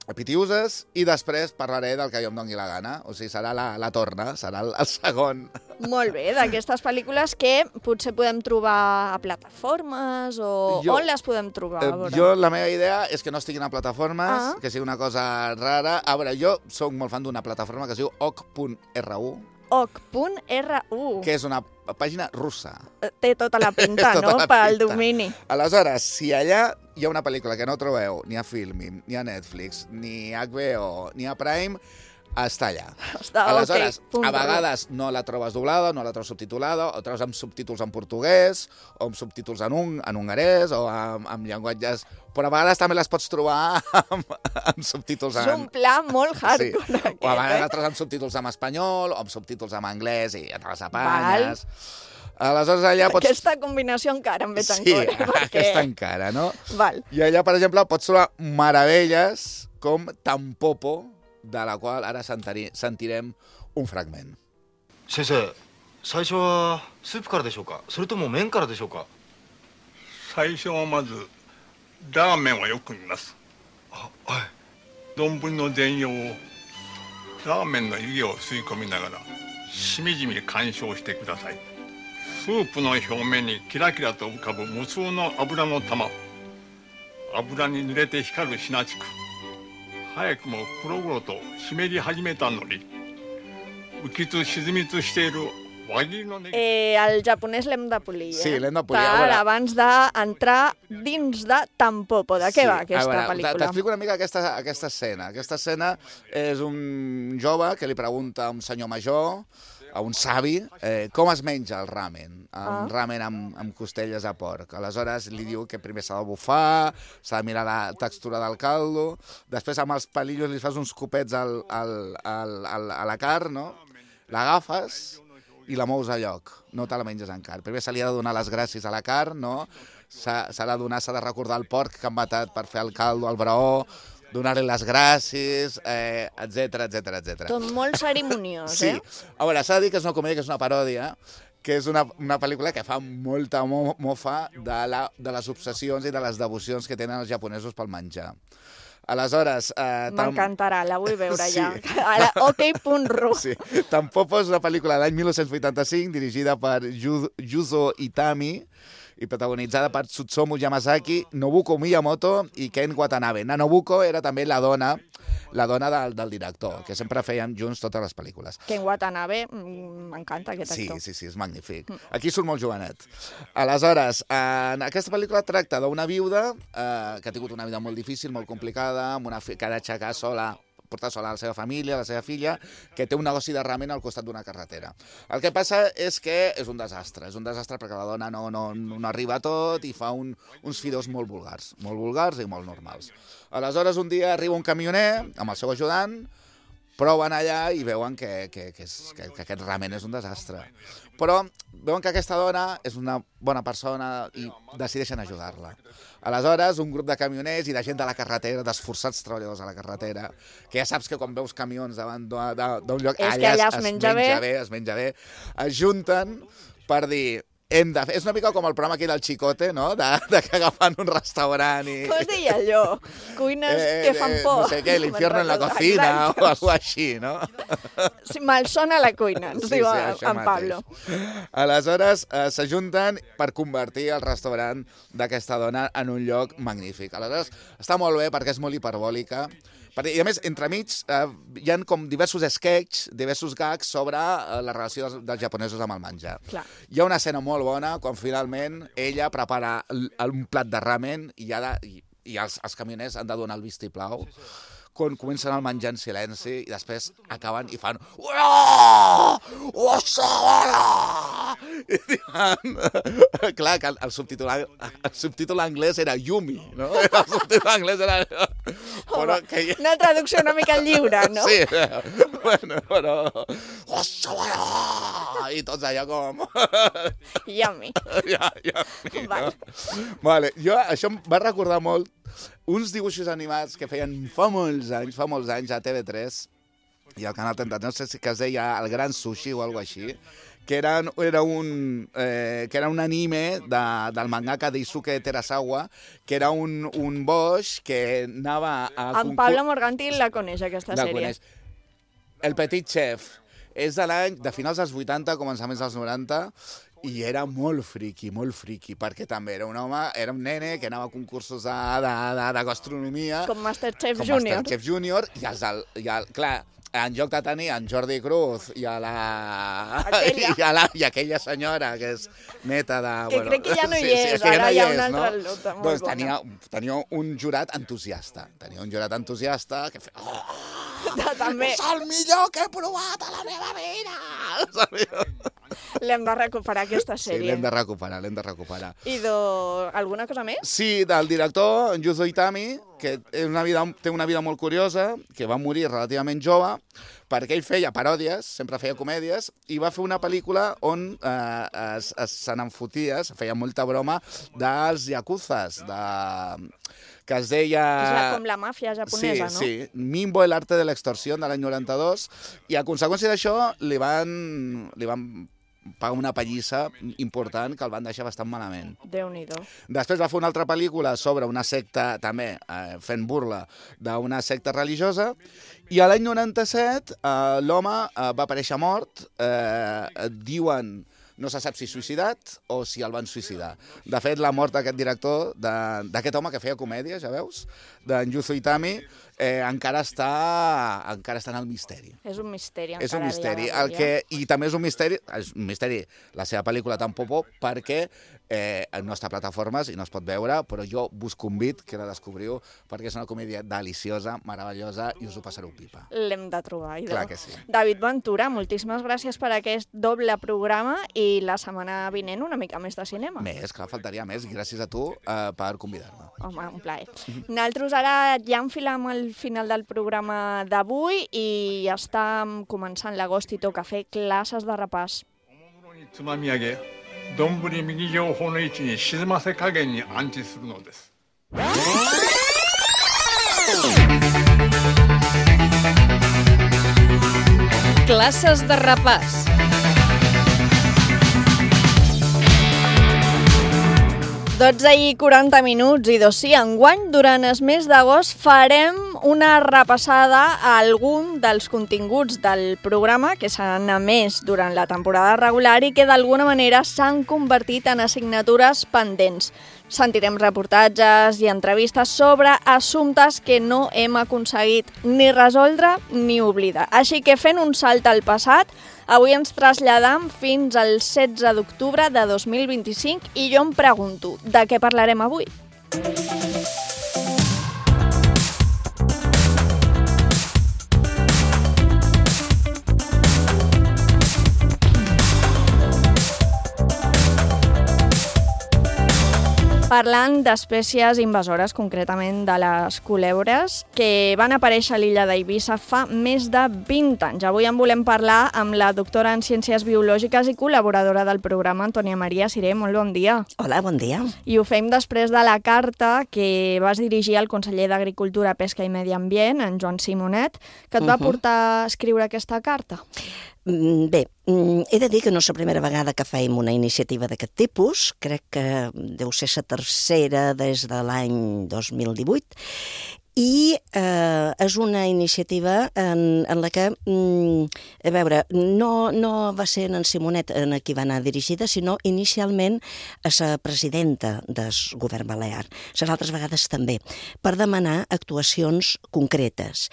a Pitiuses, i després parlaré del que jo em doni la gana. O sigui, serà la, la torna, serà el, el segon. Molt bé, d'aquestes pel·lícules que potser podem trobar a plataformes o Jo- on les podem trobar? A Eh, veure. jo, la meva idea és que no estiguin a plataformes, Ah. que sigui una cosa rara. A veure, jo soc molt fan d'una plataforma que es diu oc punt r u, oc punt r u. que és una pàgina russa. Té tota la pinta, Tota no?, la pel pinta. domini. Aleshores, si allà hi ha una pel·lícula que no trobeu ni a Filmin, ni a Netflix, ni a H B O, ni a Prime, està allà. Està, Aleshores, ok, punt a ru. vegades no la trobes doblada, no la trobes subtitulada, o trobes amb subtítols en portuguès, o amb subtítols en, un, en hongarès, o amb, amb llenguatges... Però a vegades també les pots trobar amb, amb subtítols en... És un pla molt hardcore, Sí. aquest, O a vegades eh? la trobes amb subtítols en espanyol, o amb subtítols en anglès, i ja te les apanyes. Aleshores, allà pots... Aquesta combinació encara em ve tan Sí, cor, perquè... aquesta encara, no? Val. I allà, per exemple, pots trobar meravelles com Tampopo, de la qual ara sentari, sentirem un fragment. 先生、最初はスープからでしょうか、それとも麺からでしょうか。最初はまずラーメンはよく見ます。あ、はい。丼の全容をラーメンの湯気を吸い込みながらしみじみ鑑賞してください。スープの表面にキラキラと浮かぶ無数の油の玉、油に濡れて光るシナチク、早くも黒々と湿り始めたのに浮きつ沈みつしている輪切りのネギ。Eh, el japonès l'hem de polir, eh? Sí, l'hem de polir. Per, veure... abans d'entrar dins de Tampopo. De què sí, va aquesta veure, pel·lícula? T'explico una mica aquesta, aquesta escena. Aquesta escena és un jove que li pregunta a un senyor major, a un savi, eh, com es menja el ramen, un ah. ramen amb, amb costelles a porc. Aleshores li diu que primer s'ha de bufar, s'ha de mirar la textura del caldo, després amb els palillos li fas uns copets al, al, al, al, a la carn, no? L'agafes i la mous a lloc, no te la menges encara. Primer se li ha de donar les gràcies a la carn, no? S'ha de donar, s'ha de recordar el porc que han matat per fer el caldo, el braó, donar-li les gràcies, eh, etcètera, etcètera, etcètera. Tot molt cerimoniós, sí. eh? Sí. A veure, s'ha de dir que és una comèdia, que és una paròdia, que és una, una pel·lícula que fa molta mo mofa de, la, de les obsessions i de les devocions que tenen els japonesos pel menjar. Aleshores... Eh, M'encantarà, la vull veure sí. ja. A la ok punt ru. Sí. Tampopo és una pel·lícula de l'any mil nou-cents vuitanta-cinc, dirigida per Yuzo Itami, i protagonitzada per Tsutsumu Yamazaki, Nobuko Miyamoto i Ken Watanabe. Na Nobuko era també la dona, la dona del, del director, que sempre feien junts totes les pel·lícules. Ken Watanabe, m'encanta aquest actor. Sí, sí, sí, és magnífic. Aquí surt molt jovenet. Aleshores, en aquesta pel·lícula tracta d'una viuda eh, que ha tingut una vida molt difícil, molt complicada, amb una fi que ha d'aixecar sola, portar sola a la seva família, a la seva filla, que té un negoci de ramen al costat d'una carretera. El que passa és que és un desastre, és un desastre perquè la dona no, no, no arriba a tot i fa un, uns fideus molt vulgars, molt vulgars i molt normals. Aleshores, un dia arriba un camioner amb el seu ajudant, proven allà i veuen que, que, que, és, que, que aquest ramen és un desastre. Però veuen que aquesta dona és una bona persona i decideixen ajudar-la. Aleshores, un grup de camioners i de gent de la carretera, d'esforçats treballadors a la carretera, que ja saps que quan veus camions davant d'un lloc, és allà, que allà es, es menja, menja bé. bé, es menja bé, es junten per dir... Hem de fer... És una mica com el programa aquí del Chicote, no? De, de que agafant un restaurant i... Com es deia allò? Cuines eh, que fan por. No sé què, l'infierno en la cocina o alguna així, no? Sí, malsona la cuina, ens sí, diu sí, en Pablo. Aleshores, eh, s'ajunten per convertir el restaurant d'aquesta dona en un lloc magnífic. Aleshores, està molt bé perquè és molt hiperbòlica. I a més, entremig, eh, hi ha com diversos sketches, diversos gags sobre eh, la relació dels, dels japonesos amb el menjar. Clar. Hi ha una escena molt bona quan finalment ella prepara el, un plat de ramen i, ha de, i, i els, els camioners han de donar el vistiplau. Quan comencen el menjar en silenci i després acaben i fan i diuen... Clar, que el, el, subtítol, el subtítol anglès era Yumi, no? El subtítol anglès era... Però que... Una traducció una mica lliure, no? Sí, bueno, però... I tots allà com... Yummy. Ja, yummy, vale. No? Vale, jo, això em va recordar molt uns dibuixos animats que feien fa molts anys, fa molts anys a T V tres i al Canal trenta, no sé si que es deia El Gran Sushi o alguna així, que era, era, un, eh, que era un anime de, del mangaka Daisuke Terasawa, que era un, un boix que anava a... En Pablo Morganti la coneix, aquesta la sèrie. Coneix. El Petit Chef. És de l'any, de finals dels vuitanta, començaments dels noranta, i era molt friqui, molt friqui, perquè també era un home, era un nene que anava a concursos de, de, de, de gastronomia. Com Masterchef com Junior. Com Masterchef Junior, i, els, i el, clar, en lloc de tenir en Jordi Cruz i a la... Aquella. I, a la, i aquella senyora que és neta de... Que bueno, crec que ja no hi sí, és, sí, ara no hi ha és, una altra no? lota molt doncs bona. tenia, tenia un jurat entusiasta, tenia un jurat entusiasta que feia... Oh, també. És el millor que he provat a la meva vida! L'hem de recuperar, aquesta sèrie. Sí, l'hem de recuperar, l'hem de recuperar. I de... alguna cosa més? Sí, del director, en Yuzo Itami, que és una vida, té una vida molt curiosa, que va morir relativament jove, perquè ell feia paròdies, sempre feia comèdies, i va fer una pel·lícula on eh, es, es, se n'enfotia, es feia molta broma dels yakuzas, de... que es deia... És la, com la màfia japonesa, sí, no? Sí, Mimbo, el arte de l'extorsió, de l'any noranta-dos, i a conseqüència d'això li van, li van paga una pallissa important que el van deixar bastant malament. Déu-n'hi-do. Després va fer una altra pel·lícula sobre una secta, també eh, fent burla d'una secta religiosa, i a l'any noranta-set eh, l'home eh, va aparèixer mort, eh, diuen, no se sap si suïcidat o si el van suïcidar. De fet, la mort d'aquest director, d'aquest home que feia comèdia, ja veus, d'en Yuzo Itami, eh, encara està encara està en el misteri. És un misteri. És un misteri. El que, I també és un misteri, és un misteri la seva pel·lícula tan popó perquè eh, no està a plataformes i no es pot veure, però jo vos convido que la descobriu perquè és una comèdia deliciosa, meravellosa i us ho passareu pipa. L'hem de trobar. Idò. Clar que sí. David Ventura, moltíssimes gràcies per aquest doble programa i la setmana vinent una mica més de cinema. Més, clar, faltaria més. Gràcies a tu eh, per convidar-me. Home, un plaer. Nosaltres ara ja enfilem al final del programa d'avui i ja està començant l'agost i toca fer classes de repàs. つまみ上げ、丼右上方の位置に沈ませ加減に安置するのです。Classes de repàs. dotze i quaranta minuts i dos sí, enguany, durant el mes d'agost, farem una repassada a algun dels continguts del programa que s'han emès durant la temporada regular i que d'alguna manera s'han convertit en assignatures pendents. Sentirem reportatges i entrevistes sobre assumptes que no hem aconseguit ni resoldre ni oblidar. Així que fent un salt al passat, avui ens traslladam fins al setze d'octubre de dos mil vint-i-cinc i jo em pregunto, de què parlarem avui? Parlant d'espècies invasores, concretament de les culebres, que van aparèixer a l'illa d'Eivissa fa més de vint anys. Avui en volem parlar amb la doctora en Ciències Biològiques i col·laboradora del programa, Antònia Maria Siré. Molt bon dia. Hola, bon dia. I ho fem després de la carta que vas dirigir al conseller d'Agricultura, Pesca i Medi Ambient, en Joan Simonet, que et va uh-huh. portar a escriure aquesta carta. Bé, he de dir que no és la primera vegada que fem una iniciativa d'aquest tipus, crec que deu ser la tercera des de l'any dos mil divuit, i eh, és una iniciativa en, en la que, mm, a veure, no, no va ser en Simonet en qui va anar dirigida, sinó inicialment a la presidenta del govern balear, les altres vegades també, per demanar actuacions concretes.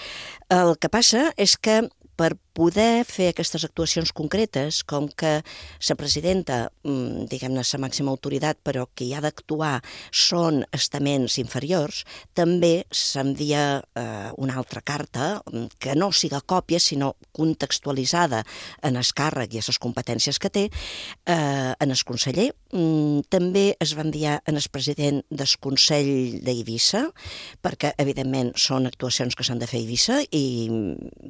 El que passa és que per poder fer aquestes actuacions concretes, com que la presidenta, diguem-ne, la màxima autoritat, però que hi ha d'actuar són estaments inferiors, també s'envia eh, una altra carta, que no siga còpia, sinó contextualitzada en el càrrec i les competències que té, eh, en el conseller. També es va enviar en el president del Consell d'Eivissa, perquè, evidentment, són actuacions que s'han de fer a Eivissa i,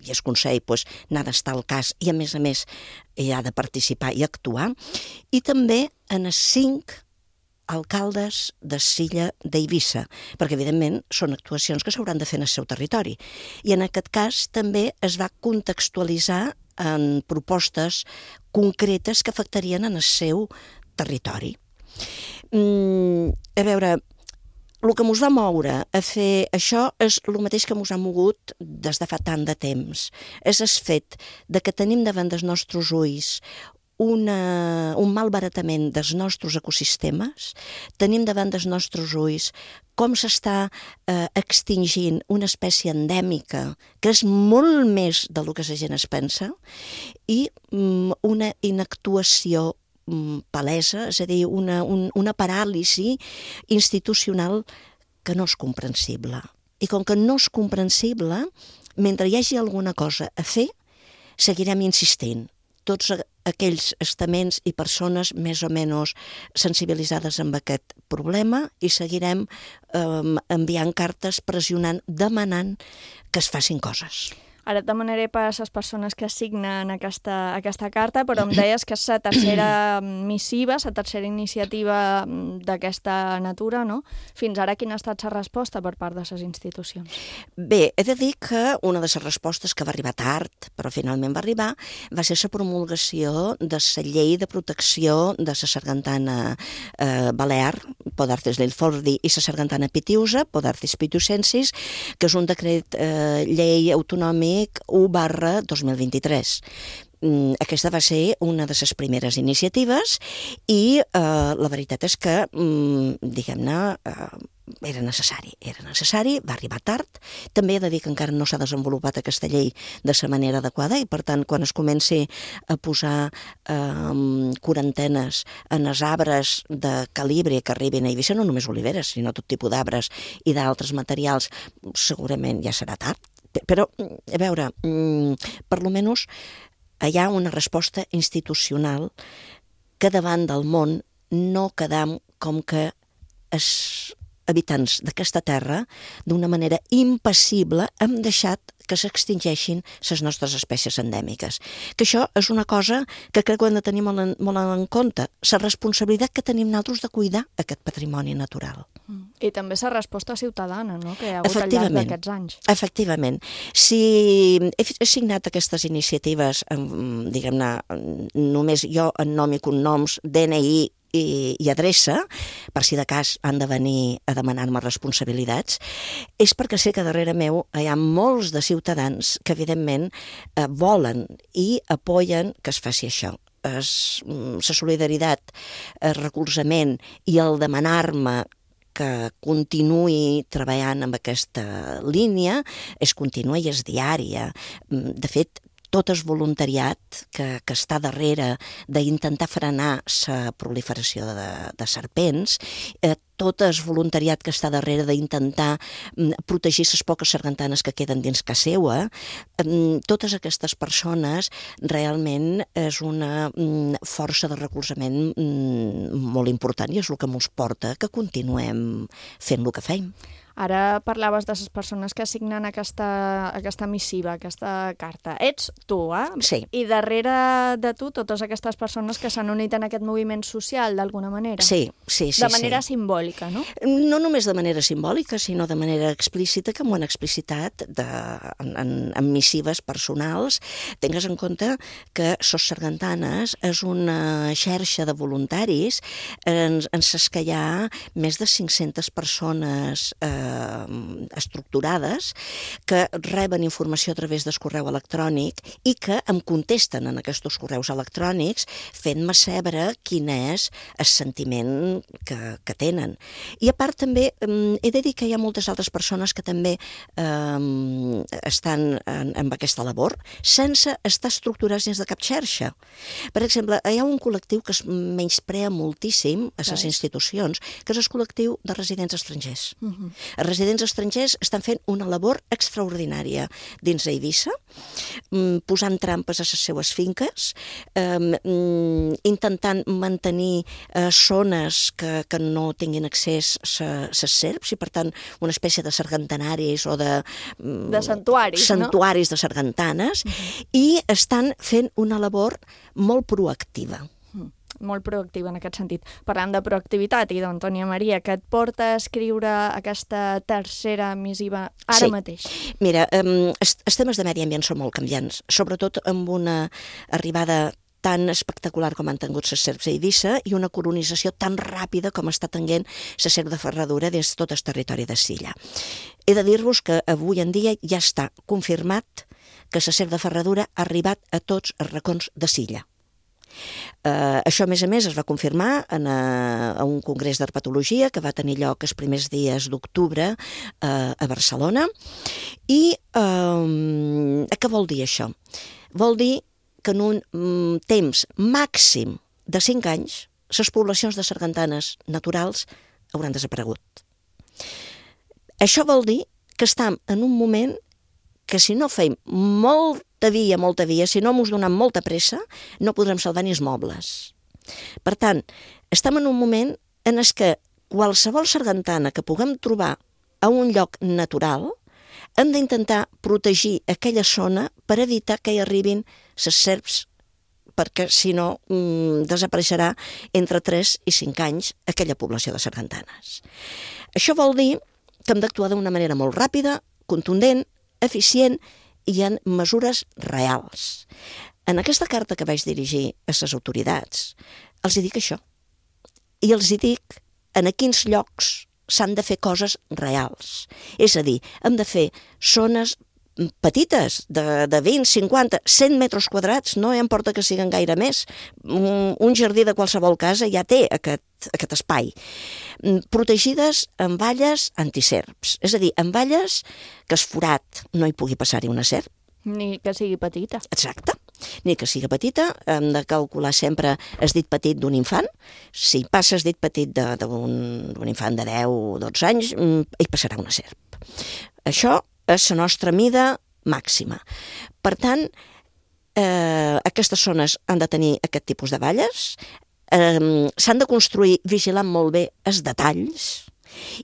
i el Consell pues, n'ha d'estar al cas i, a més a més, hi ha de participar i actuar. I també en els cinc alcaldes de l'illa d'Eivissa, perquè, evidentment, són actuacions que s'hauran de fer en el seu territori. I, en aquest cas, també es va contextualitzar en propostes concretes que afectarien en el seu territori. Mm, a veure, el que ens va moure a fer això és el mateix que ens ha mogut des de fa tant de temps. És el fet de que tenim davant dels nostres ulls una, un malbaratament dels nostres ecosistemes, tenim davant dels nostres ulls com s'està eh, extingint una espècie endèmica que és molt més del que la gent es pensa i mm, una inactuació palesa, és a dir, una, un, una paràlisi institucional que no és comprensible. I com que no és comprensible, mentre hi hagi alguna cosa a fer, seguirem insistint. Tots aquells estaments i persones més o menys sensibilitzades amb aquest problema i seguirem eh, enviant cartes, pressionant, demanant que es facin coses. Ara et demanaré per a les persones que signen aquesta, aquesta carta, però em deies que és la tercera missiva, la tercera iniciativa d'aquesta natura, no? Fins ara quina ha estat la resposta per part de les institucions? Bé, he de dir que una de les respostes que va arribar tard, però finalment va arribar, va ser la promulgació de la llei de protecció de la sargantana eh, balear, Podartes l'Ilfordi, i la sargantana pitiusa, Podartes pitusensis, que és un decret eh, llei autonòmic u barra dos mil vint-i-tres. Aquesta va ser una de les primeres iniciatives i eh, la veritat és que, diguem-ne, eh, era necessari, era necessari, va arribar tard. També he de dir que encara no s'ha desenvolupat aquesta llei de la manera adequada i, per tant, quan es comenci a posar eh, quarantenes en els arbres de calibre que arribin a Eivissa, no només oliveres, sinó tot tipus d'arbres i d'altres materials, segurament ja serà tard. Però, a veure, per lo menys hi ha una resposta institucional que davant del món no quedam com que els habitants d'aquesta terra, d'una manera impassible, hem deixat que s'extingeixin les nostres espècies endèmiques. Que això és una cosa que crec que hem de tenir molt en, molt en compte, la responsabilitat que tenim nosaltres de cuidar aquest patrimoni natural. I també la resposta ciutadana, no?, que hi ha hagut al llarg d'aquests anys. Efectivament. Si he signat aquestes iniciatives, diguem-ne, només jo en nom i cognoms, D N I i, i adreça, per si de cas han de venir a demanar-me responsabilitats, és perquè sé que darrere meu hi ha molts de ciutadans que, evidentment, eh, volen i apoyen que es faci això. La solidaritat, el recolzament i el demanar-me que continuï treballant amb aquesta línia és contínua i és diària. De fet, tot el voluntariat que, que està darrere d'intentar frenar la proliferació de, de serpents, eh, tot el voluntariat que està darrere d'intentar protegir les poques sargantanes que queden dins casa seua, eh, totes aquestes persones realment és una força de recolzament molt important i és el que ens porta que continuem fent el que fem. Ara parlaves de les persones que signen aquesta, aquesta missiva, aquesta carta. Ets tu, eh? Sí. I darrere de tu, totes aquestes persones que s'han unit en aquest moviment social, d'alguna manera. Sí, sí, sí. De manera sí. simbòlica, no? No només de manera simbòlica, sinó de manera explícita, que m'ho han explicitat de, en, en, en missives personals. Tingues en compte que Sos Sargantanes és una xarxa de voluntaris en, en les que hi ha més de cinc-centes persones eh, estructurades que reben informació a través del correu electrònic i que em contesten en aquests correus electrònics fent-me saber quin és el sentiment que, que tenen. I a part també he de dir que hi ha moltes altres persones que també eh, estan en, en aquesta labor sense estar estructurats dins de cap xarxa. Per exemple, hi ha un col·lectiu que es menysprea moltíssim a les institucions, que és el col·lectiu de residents estrangers. Uh-huh. Els residents estrangers estan fent una labor extraordinària dins d'Eivissa, posant trampes a les seues finques, intentant mantenir zones que, que no tinguin accés les serps i, per tant, una espècie de sargantanaris o de... De santuaris, santuaris no? de sargantanes, uh-huh. i estan fent una labor molt proactiva. Molt proactiva en aquest sentit. Parlant de proactivitat, i d'Antònia Maria, que et porta a escriure aquesta tercera missiva ara sí. mateix? Mira, um, els, els temes de medi ambient són molt canviants, sobretot amb una arribada tan espectacular com han tingut les serps a Eivissa i una colonització tan ràpida com està tenint la serp de ferradura dins tot el territori de Silla. He de dir-vos que avui en dia ja està confirmat que la serp de ferradura ha arribat a tots els racons de Silla. Uh, això, a més a més, es va confirmar en, uh, a un congrés d'herpetologia que va tenir lloc els primers dies d'octubre uh, a Barcelona. I uh, què vol dir això? Vol dir que en un um, temps màxim de cinc anys les poblacions de sargantanes naturals hauran desaparegut. Això vol dir que estem en un moment que si no feim molta via, molta via, si no mos donem molta pressa, no podrem salvar ni els mobles. Per tant, estem en un moment en el que qualsevol sargantana que puguem trobar a un lloc natural hem d'intentar protegir aquella zona per evitar que hi arribin les serps, perquè si no mm, desapareixerà entre tres i cinc anys aquella població de sargantanes. Això vol dir que hem d'actuar d'una manera molt ràpida, contundent, eficient i en mesures reals. En aquesta carta que vaig dirigir a les autoritats, els hi dic això. I els hi dic en a quins llocs s'han de fer coses reals. És a dir, hem de fer zones petites, de, de vint, cinquanta, cent metres quadrats, no importa que siguin gaire més. Un, un jardí de qualsevol casa ja té aquest, aquest espai. Protegides amb valles antiserps, és a dir, amb valles que es forat no hi pugui passar-hi una serp. Ni que sigui petita. Exacte. Ni que sigui petita, hem de calcular sempre el dit petit d'un infant. Si passes dit petit d'un infant de deu o dotze anys, hi passarà una serp. Això és la nostra mida màxima. Per tant, eh, aquestes zones han de tenir aquest tipus de valles, eh, s'han de construir vigilant molt bé els detalls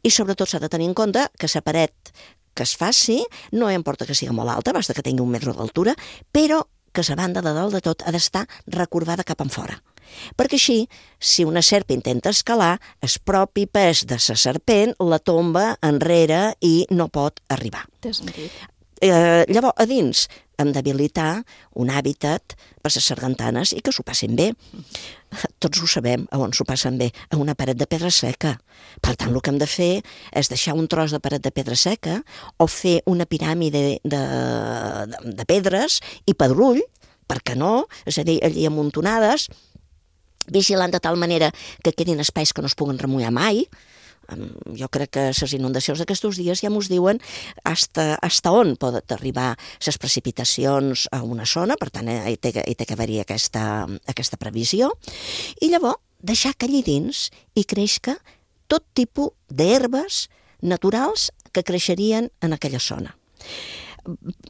i sobretot s'ha de tenir en compte que la paret que es faci, no importa que sigui molt alta, basta que tingui un metre d'altura, però que la banda de dalt de tot ha d'estar recorbada cap enfora. Perquè així, si una serp intenta escalar, el propi pes de la serpent la tomba enrere i no pot arribar. Té sentit. Eh, llavors, a dins hem d'habilitar un hàbitat per les sargantanes i que s'ho passin bé. Tots ho sabem, a on s'ho passen bé? A una paret de pedra seca. Per tant, el que hem de fer és deixar un tros de paret de pedra seca o fer una piràmide de, de, de pedres i pedrull, per què no? És a dir, allí amuntonades, vigilant de tal manera que quedin espais que no es puguen remullar mai. Jo crec que les inundacions d'aquests dies ja mos diuen hasta, hasta on poden arribar les precipitacions a una zona, per tant, hi té, hi té que haver-hi aquesta, aquesta previsió, i llavors deixar que allí dins hi creixca tot tipus d'herbes naturals que creixerien en aquella zona.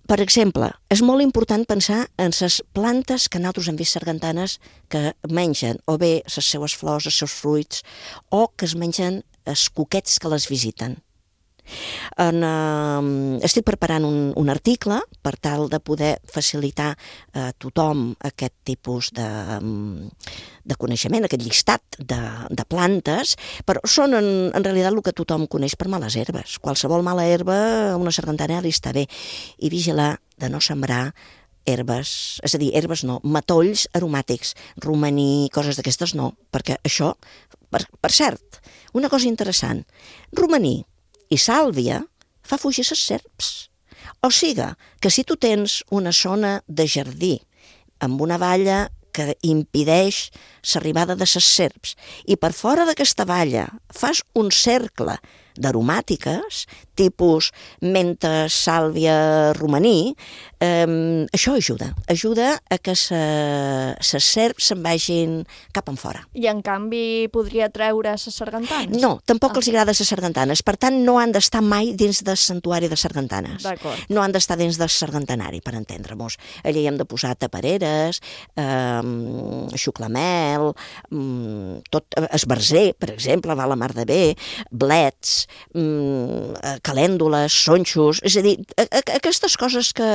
Per exemple, és molt important pensar en les plantes que nosaltres hem vist sargantanes que mengen o bé les seues flors, els seus fruits, o que es mengen els cuquets que les visiten. En, uh, estic preparant un, un article per tal de poder facilitar a tothom aquest tipus de, de coneixement, aquest llistat de, de plantes, però són en, en realitat el que tothom coneix per males herbes. Qualsevol mala herba a una sargantana li està bé. I vigilar de no sembrar herbes, és a dir, herbes no, matolls aromàtics, romaní, coses d'aquestes no, perquè això, per, per cert, una cosa interessant, romaní i sàlvia fa fugir les serps. O sigui, que si tu tens una zona de jardí amb una valla que impedeix l'arribada de les serps i per fora d'aquesta valla fas un cercle d'aromàtiques, tipus menta, sàlvia, romaní, eh, això ajuda. Ajuda a que les serps se'n vagin cap en fora. I en canvi podria treure les sargantanes? No, tampoc ah. els agrada les sargantanes. Per tant, no han d'estar mai dins del santuari de sargantanes. D'acord. No han d'estar dins del sargantanari, per entendre-nos. Allà hi hem de posar tapareres, eh, xuclamel, eh, tot, esbarzer, per exemple, va la mar de bé, blets, calèndules, sonxos, és a dir, aquestes coses que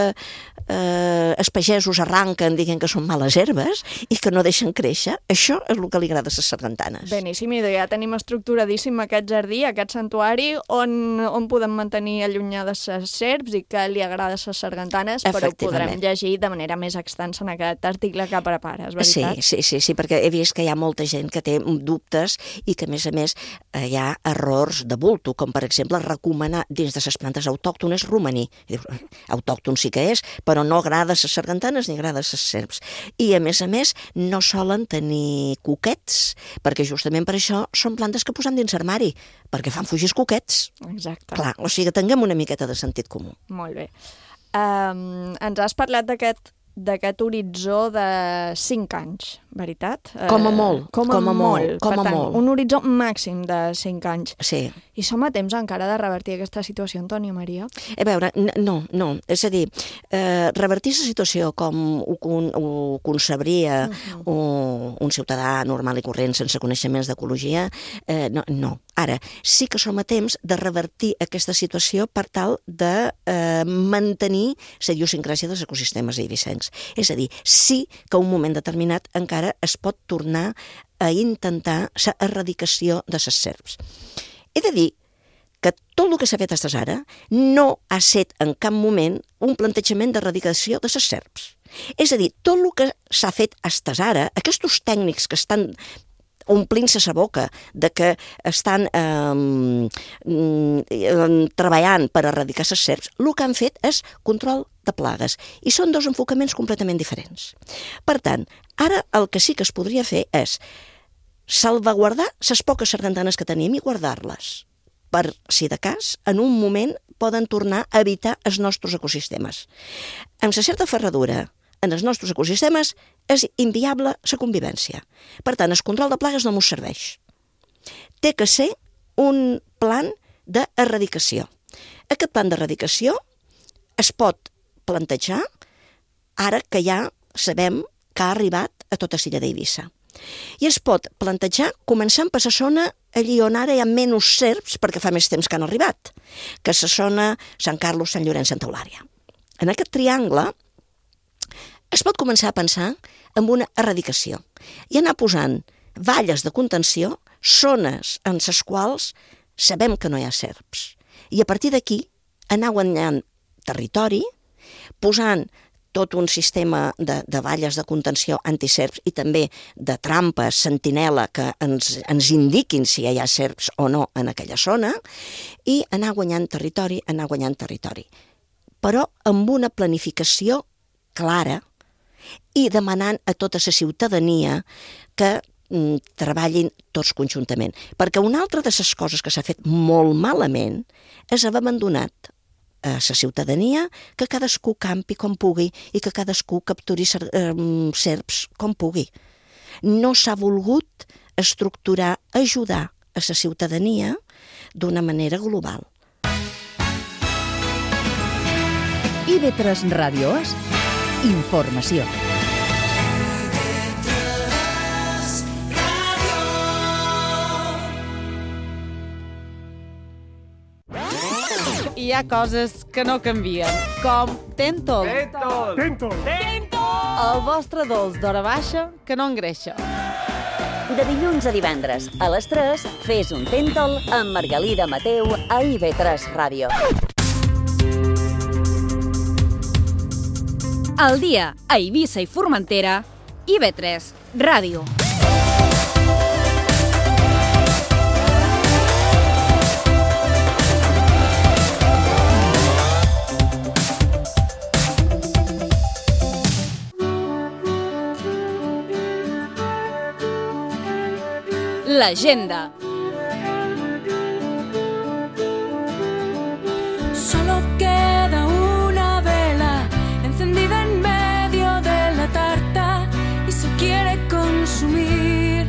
eh, els pagesos arranquen dient que són males herbes i que no deixen créixer, això és el que li agrada a les sargantanes. Beníssim, i ja tenim estructuradíssim aquest jardí, aquest santuari, on, on podem mantenir allunyades les serps i que li agrada a les sargantanes, però ho podrem llegir de manera més extensa en aquest article que prepares, veritat? Sí, sí, sí, sí, perquè he vist que hi ha molta gent que té dubtes i que, a més a més, hi ha errors de bulto, com per exemple recomanar dins de les plantes autòctones romaní. Autòcton sí que és, però no agrada les sargantanes ni agrada les serps. I a més a més no solen tenir cuquets, perquè justament per això són plantes que posem dins l'armari, perquè fan fugir els cuquets. Exacte. Clar, o sigui que tinguem una miqueta de sentit comú. Molt bé. Um, ens has parlat d'aquest d'aquest horitzó de cinc anys. veritat? Com a molt. Com a, com a molt. molt. Com per a tant, molt. un horitzó màxim de cinc anys. Sí. I som a temps encara de revertir aquesta situació, Antònia Maria? A veure, no, no. És a dir, eh, revertir la situació com ho, ho concebria uh-huh. un, un ciutadà normal i corrent sense coneixements d'ecologia, eh, no, no. Ara, sí que som a temps de revertir aquesta situació per tal de eh, mantenir la idiosincràsia dels ecosistemes eivissencs. És a dir, sí que a un moment determinat encara es pot tornar a intentar la erradicació de les serps. He de dir que tot el que s'ha fet fins ara no ha estat en cap moment un plantejament d'erradicació de les serps. És a dir, tot el que s'ha fet fins ara, aquests tècnics que estan omplint-se la boca de que estan eh, eh, treballant per erradicar les serps, el que han fet és control de plagues. I són dos enfocaments completament diferents. Per tant, ara el que sí que es podria fer és salvaguardar les poques sargantanes que tenim i guardar-les, per, si de cas, en un moment poden tornar a evitar els nostres ecosistemes. Amb la certa ferradura en els nostres ecosistemes és inviable la convivència. Per tant, el control de plagues no ens serveix. Té que ser un plan d'erradicació. Aquest plan d'erradicació es pot plantejar ara que ja sabem que ha arribat a tota l'illa d'Eivissa. I es pot plantejar començant per la zona allí on ara hi ha menys serps perquè fa més temps que han arribat, que és la zona Sant Carlos, Sant Llorenç, Santa Eulària. En aquest triangle es pot començar a pensar en una erradicació i anar posant valles de contenció, zones en les quals sabem que no hi ha serps. I a partir d'aquí anar guanyant territori, posant tot un sistema de, de valles de contenció antiserps i també de trampes, sentinela, que ens, ens indiquin si hi ha serps o no en aquella zona, i anar guanyant territori, anar guanyant territori. Però amb una planificació clara i demanant a tota la ciutadania que mm, treballin tots conjuntament. Perquè una altra de les coses que s'ha fet molt malament és haver abandonat a la ciutadania que cadascú campi com pugui i que cadascú capturi serps com pugui. No s'ha volgut estructurar, ajudar a la ciutadania d'una manera global. I ve tres Ràdio És informació. Hi ha coses que no canvien, com Tentol. Tentol! Tentol! Tentol! El vostre dolç d'hora baixa que no engreixa. De dilluns a divendres, a les tres, fes un Tentol amb Margalida Mateu a I V tres Ràdio. Al dia a Eivissa i Formentera, I V tres Ràdio. L'agenda. Solo queda una vela encendida en medio de la tarta y se quiere consumir.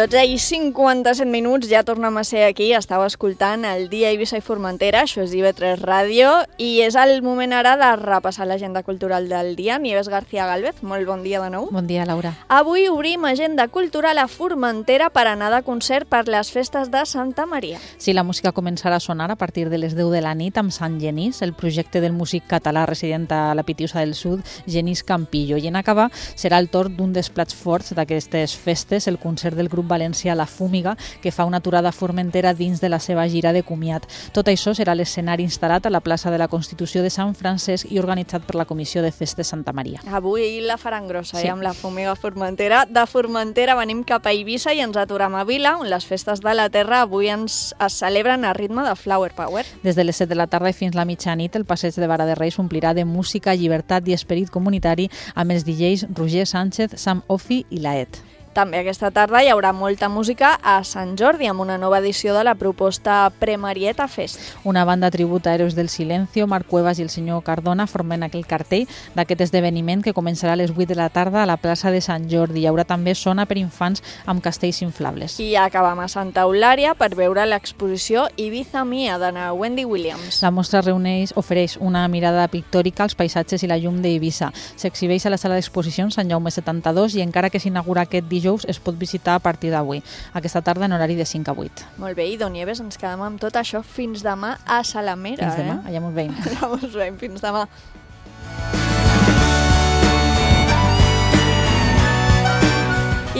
dotze i cinquanta-set minuts, ja tornem a ser aquí, estàu escoltant el Dia Eivissa i Formentera, això és I V tres Ràdio, i és el moment ara de repassar l'agenda cultural del dia. Nieves García Gálvez, molt bon dia de nou. Bon dia, Laura. Avui obrim agenda cultural a Formentera per anar de concert per les festes de Santa Maria. Sí, la música començarà a sonar a partir de les deu de la nit amb Sant Genís, el projecte del músic català resident a la Pitiusa del Sud, Genís Campillo. I en acabar serà el torn d'un dels plats forts d'aquestes festes, el concert del grup valencià La Fúmiga, que fa una aturada a Formentera dins de la seva gira de comiat. Tot això serà l'escenari instal·lat a la plaça de la Constitució de Sant Francesc i organitzat per la Comissió de Festes Santa Maria. Avui la faran grossa, sí. eh, amb La Fúmiga a Formentera. De Formentera venim cap a Eivissa i ens aturem a Vila, on les festes de la terra avui ens es celebren a ritme de Flower Power. Des de les set de la tarda i fins la mitjanit, el passeig de Vara de Reis omplirà de música, llibertat i esperit comunitari amb els D Js Roger Sánchez, Sam Offi i Laet. També aquesta tarda hi haurà molta música a Sant Jordi, amb una nova edició de la proposta Premarieta Fest. Una banda tribut a Héroes del Silencio, Marc Cuevas i el senyor Cardona formen aquell cartell d'aquest esdeveniment que començarà a les vuit de la tarda a la plaça de Sant Jordi. Hi haurà també zona per infants amb castells inflables. I acabam a Santa Eulària per veure l'exposició Ibiza Mia de na Wendy Williams. La mostra reuneix, ofereix una mirada pictòrica als paisatges i la llum d'Eivissa. S'exhibeix a la sala d'exposicions Sant Jaume setanta-dos i encara que s'inaugura aquest dijous es pot visitar a partir d'avui. Aquesta tarda en horari de cinc a vuit. Molt bé, i Don Nieves, ens quedem amb tot això fins demà a Salamera. Fins demà, eh? allà mos veiem. Allà mos veiem, fins demà.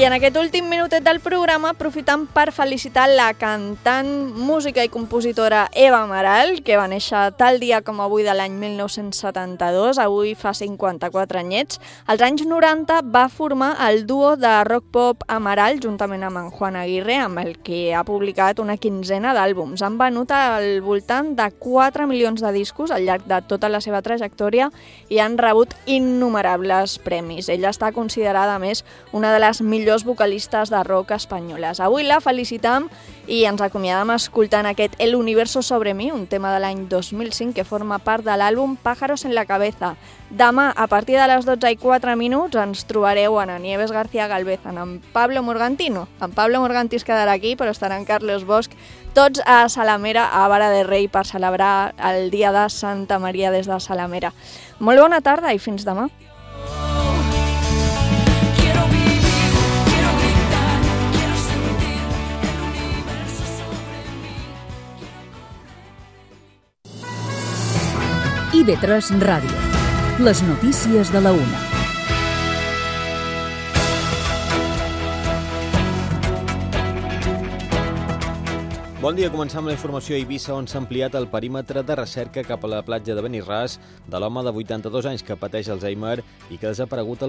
I en aquest últim minutet del programa aprofitam per felicitar la cantant, música i compositora Eva Amaral, que va néixer tal dia com avui de l'any mil nou-cents setanta-dos, avui fa cinquanta-quatre anyets. Als anys noranta va formar el duo de rock-pop Amaral, juntament amb en Juan Aguirre, amb el que ha publicat una quinzena d'àlbums. Han venut al voltant de quatre milions de discos al llarg de tota la seva trajectòria i han rebut innumerables premis. Ella està considerada, a més, una de les millors vocalistes de rock espanyoles. Avui la felicitam i ens acomiadam escoltant aquest El universo sobre mi, un tema de l'any dos mil cinc que forma part de l'àlbum Pájaros en la cabeza. Demà, a partir de les dotze i quatre minuts, ens trobareu en Nieves García Galvez, en Pablo Morgantino. En Pablo Morganti es quedarà aquí, però estarà en Carlos Bosch, tots a Salamera, a Vara de Rei, per celebrar el dia de Santa Maria des de Salamera. Molt bona tarda i fins demà. I ve tres Ràdio. Les notícies de la una. Bon dia, començam la informació a Eivissa, on s'ha ampliat el perímetre de recerca cap a la platja de Benirràs de l'home de vuitanta-dos anys que pateix Alzheimer i que ha desaparegut al